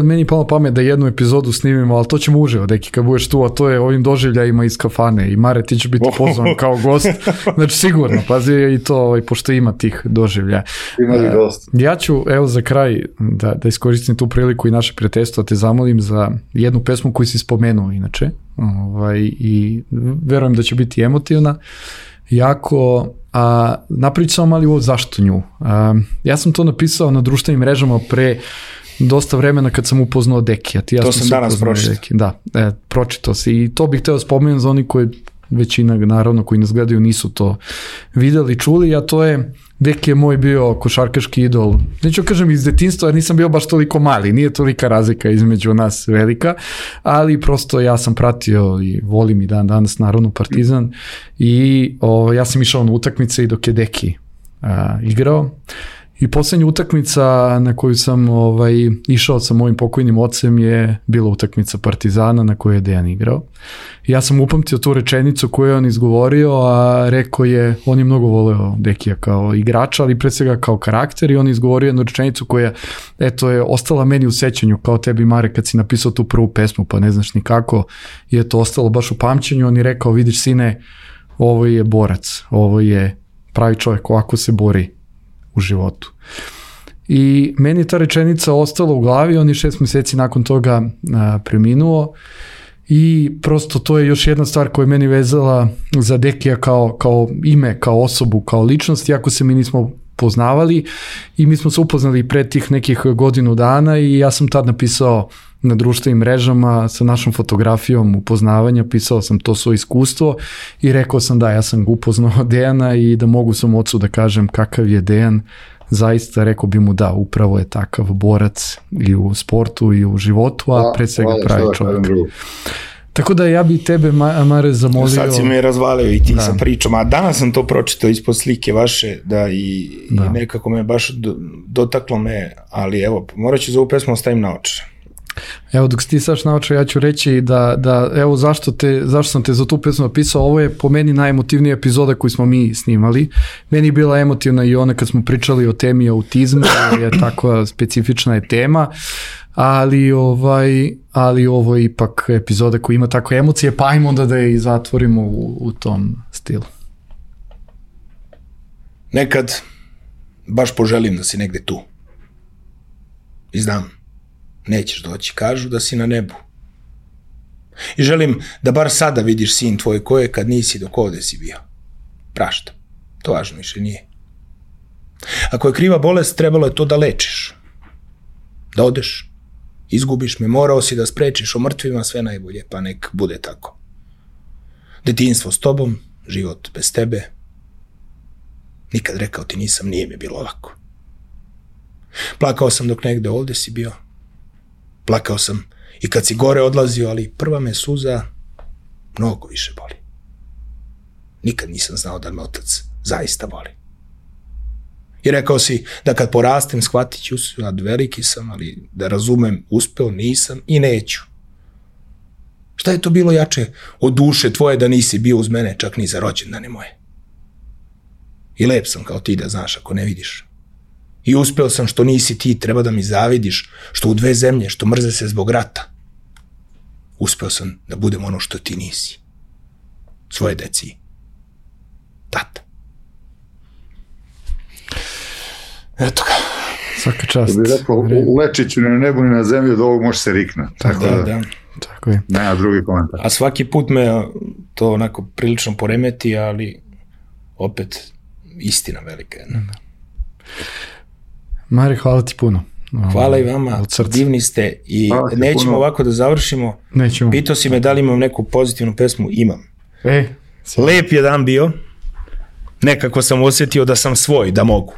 Meni palo pamet da jednu epizodu snimimo, ali to ćemo uživo, deki, kad budeš tu, a to je ovim doživljajima iz kafane i Mare, ti će biti pozvan kao gost, znači sigurno, pazi i to, pošto ima tih doživljaja. Ima i gost. Ja ću, evo za kraj, da iskoristim tu priliku i naše prijateljstvo, te zamolim za jednu pesmu koju si spomenuo inače, i verujem da će biti emotivna, jako, a napravit samo mali ovo zašto nju. Ja sam to napisao na društvenim mrežama pre dosta vremena kad sam upoznao Dekija. To sam danas pročitao. Da, pročitao si i to bih hteo spomenuti za oni koji, većina naravno koji nas gledaju nisu to videli, čuli, a to je Deki je moj bio košarkaški idol. Neću kažem iz detinjstva, jer nisam bio baš toliko mali, nije tolika razlika između nas velika, ali prosto ja sam pratio i volim i dan danas naravno Partizan i ja sam išao na utakmice i dok je Deki igrao. I poslednja utakmica na koju sam išao sa mojim pokojnim ocem je bila utakmica Partizana na kojoj je Dejan igrao. I ja sam upamtio tu rečenicu koju je on izgovorio, a rekao je, on je mnogo voleo Dekija kao igrača, ali pre svega kao karakter, i on je izgovorio jednu rečenicu koja, je ostala meni u sećanju, kao tebi Mare kad si napisao tu prvu pesmu, pa ne znaš ni kako, je to ostalo baš u pamćenju. On je rekao, vidiš sine, ovo je borac, ovo je pravi čovjek, ovako se bori u životu. I meni ta rečenica ostala u glavi, on je 6 meseci nakon toga preminuo i prosto to je još jedna stvar koja je meni vezala za Dekija kao ime, kao osobu, kao ličnost, iako se mi nismo poznavali i mi smo se upoznali pre tih nekih godinu dana i ja sam tad napisao na društvenim mrežama sa našom fotografijom upoznavanja, pisao sam to svoje iskustvo i rekao sam da ja sam upoznao Dejana i da mogu svom ocu da kažem kakav je Dejan, zaista rekao bi mu da, upravo je takav borac i u sportu i u životu, a pre svega pravi čovjek. Tako da ja bi tebe, Mare, zamolio... Sad si me razvalio i ti sa pričom, a danas sam to pročitao ispod slike vaše, i nekako me baš dotaklo me, ali evo, morat ću za ovu pesmu ostavim na oče. Evo, dok si ti saš naučio, ja ću reći da evo zašto sam te za tu pesmu napisao, ovo je po meni najemotivnija epizoda koju smo mi snimali. Meni je bila emotivna i ona kad smo pričali o temi autizma, je takva specifična je tema, ali ovo je ipak epizoda koja ima takve emocije, pa ajmo onda da je i zatvorimo u tom stilu. nekad baš poželim da si negde tu. I znam, nećeš doći, kažu da si na nebu. I želim da bar sada vidiš sin tvoj ko je kad nisi dok ovde si bio. Prašta, to važno više nije. Ako je kriva bolest, trebalo je to da lečiš. Da odeš, izgubiš me, morao si da sprečiš o mrtvima sve najbolje, pa nek bude tako. Detinjstvo s tobom, život bez tebe. Nikad rekao ti nisam, nije mi bilo lako. Plakao sam dok negde ovde si bio. Plakao sam i kad si gore odlazio, ali prva me suza mnogo više boli. Nikad nisam znao da me otac zaista voli. I rekao si da kad porastem shvatit ću se, a veliki sam, ali da razumem, uspeo nisam i neću. Šta je to bilo jače od duše tvoje da nisi bio uz mene čak ni za rođendane moje? I lep sam kao ti da znaš ako ne vidiš. I uspeo sam što nisi ti, treba da mi zavidiš, što u dve zemlje, što mrze se zbog rata. Uspeo sam da budem ono što ti nisi. Svoje deci. Tata. Eto ga. Svaka čast. Da bi rekao, lečiću ni na nebu ni na zemlji, od ovog može se riknuti. Tako da. Tako je. Nema drugi komentar. A svaki put me to onako prilično poremeti, ali opet istina velika jedna. Mari, hvala ti puno. Hvala i vama, divni ste i nećemo puno. Ovako da završimo. Nećemo. Pitao si me da li imam neku pozitivnu pesmu, imam. Lep je dan bio, nekako sam osjetio da sam svoj, da mogu.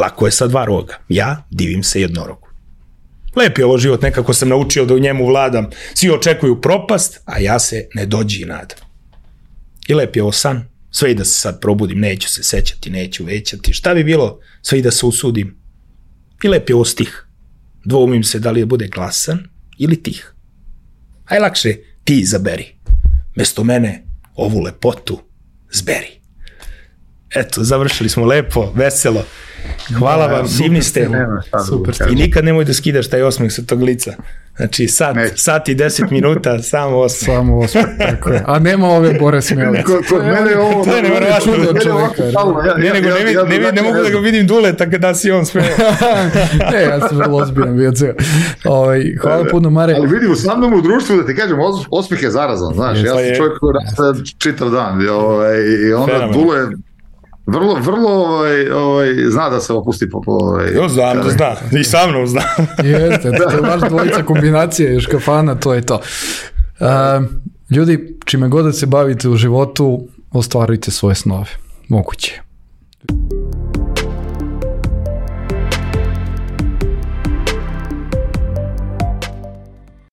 Lako je sa dva roga, ja divim se jednorogu. Lep je ovo život, nekako sam naučio da u njemu vladam. Svi očekuju propast, a ja se ne dođi i nadam. I lep je ovo san, sve i da se sad probudim, neću se sećati, neću većati. Šta bi bilo, sve i da se usudim. I lep je ovo stih, dvoumim se da li je bude glasan ili tih. Aj lakše ti izaberi, mesto mene ovu lepotu zberi. Eto, završili smo lepo, veselo. Hvala vam, divni ste. Super. I nikad nemoj da skidaš taj osmeh sa tog lica. Znači, sat i 10 minuta, samo osmeh. Samo osmeh, tako je. A nema ove Bore smjelice. Kod mene je ovo... To je nevjerovatno. Ne mogu da ga vidim Duleta kada si on smeo. Ne, ja sam vrlo ozbiljan bio ceo. Hvala puno, Mare. Ali vidim, sa mnom u društvu, da ti kažem, osmeh je zarazan, znaš. Ja sam čovjek koji rasta čitav dan. I onda Dule... Vrlo zna da se opusti po... Znam da zna, i sa mnom zna. Jeste, to je baš dvojica kombinacije još kafana, to je to. Ljudi, čime god da se bavite u životu, ostvarujte svoje snove. Moguće.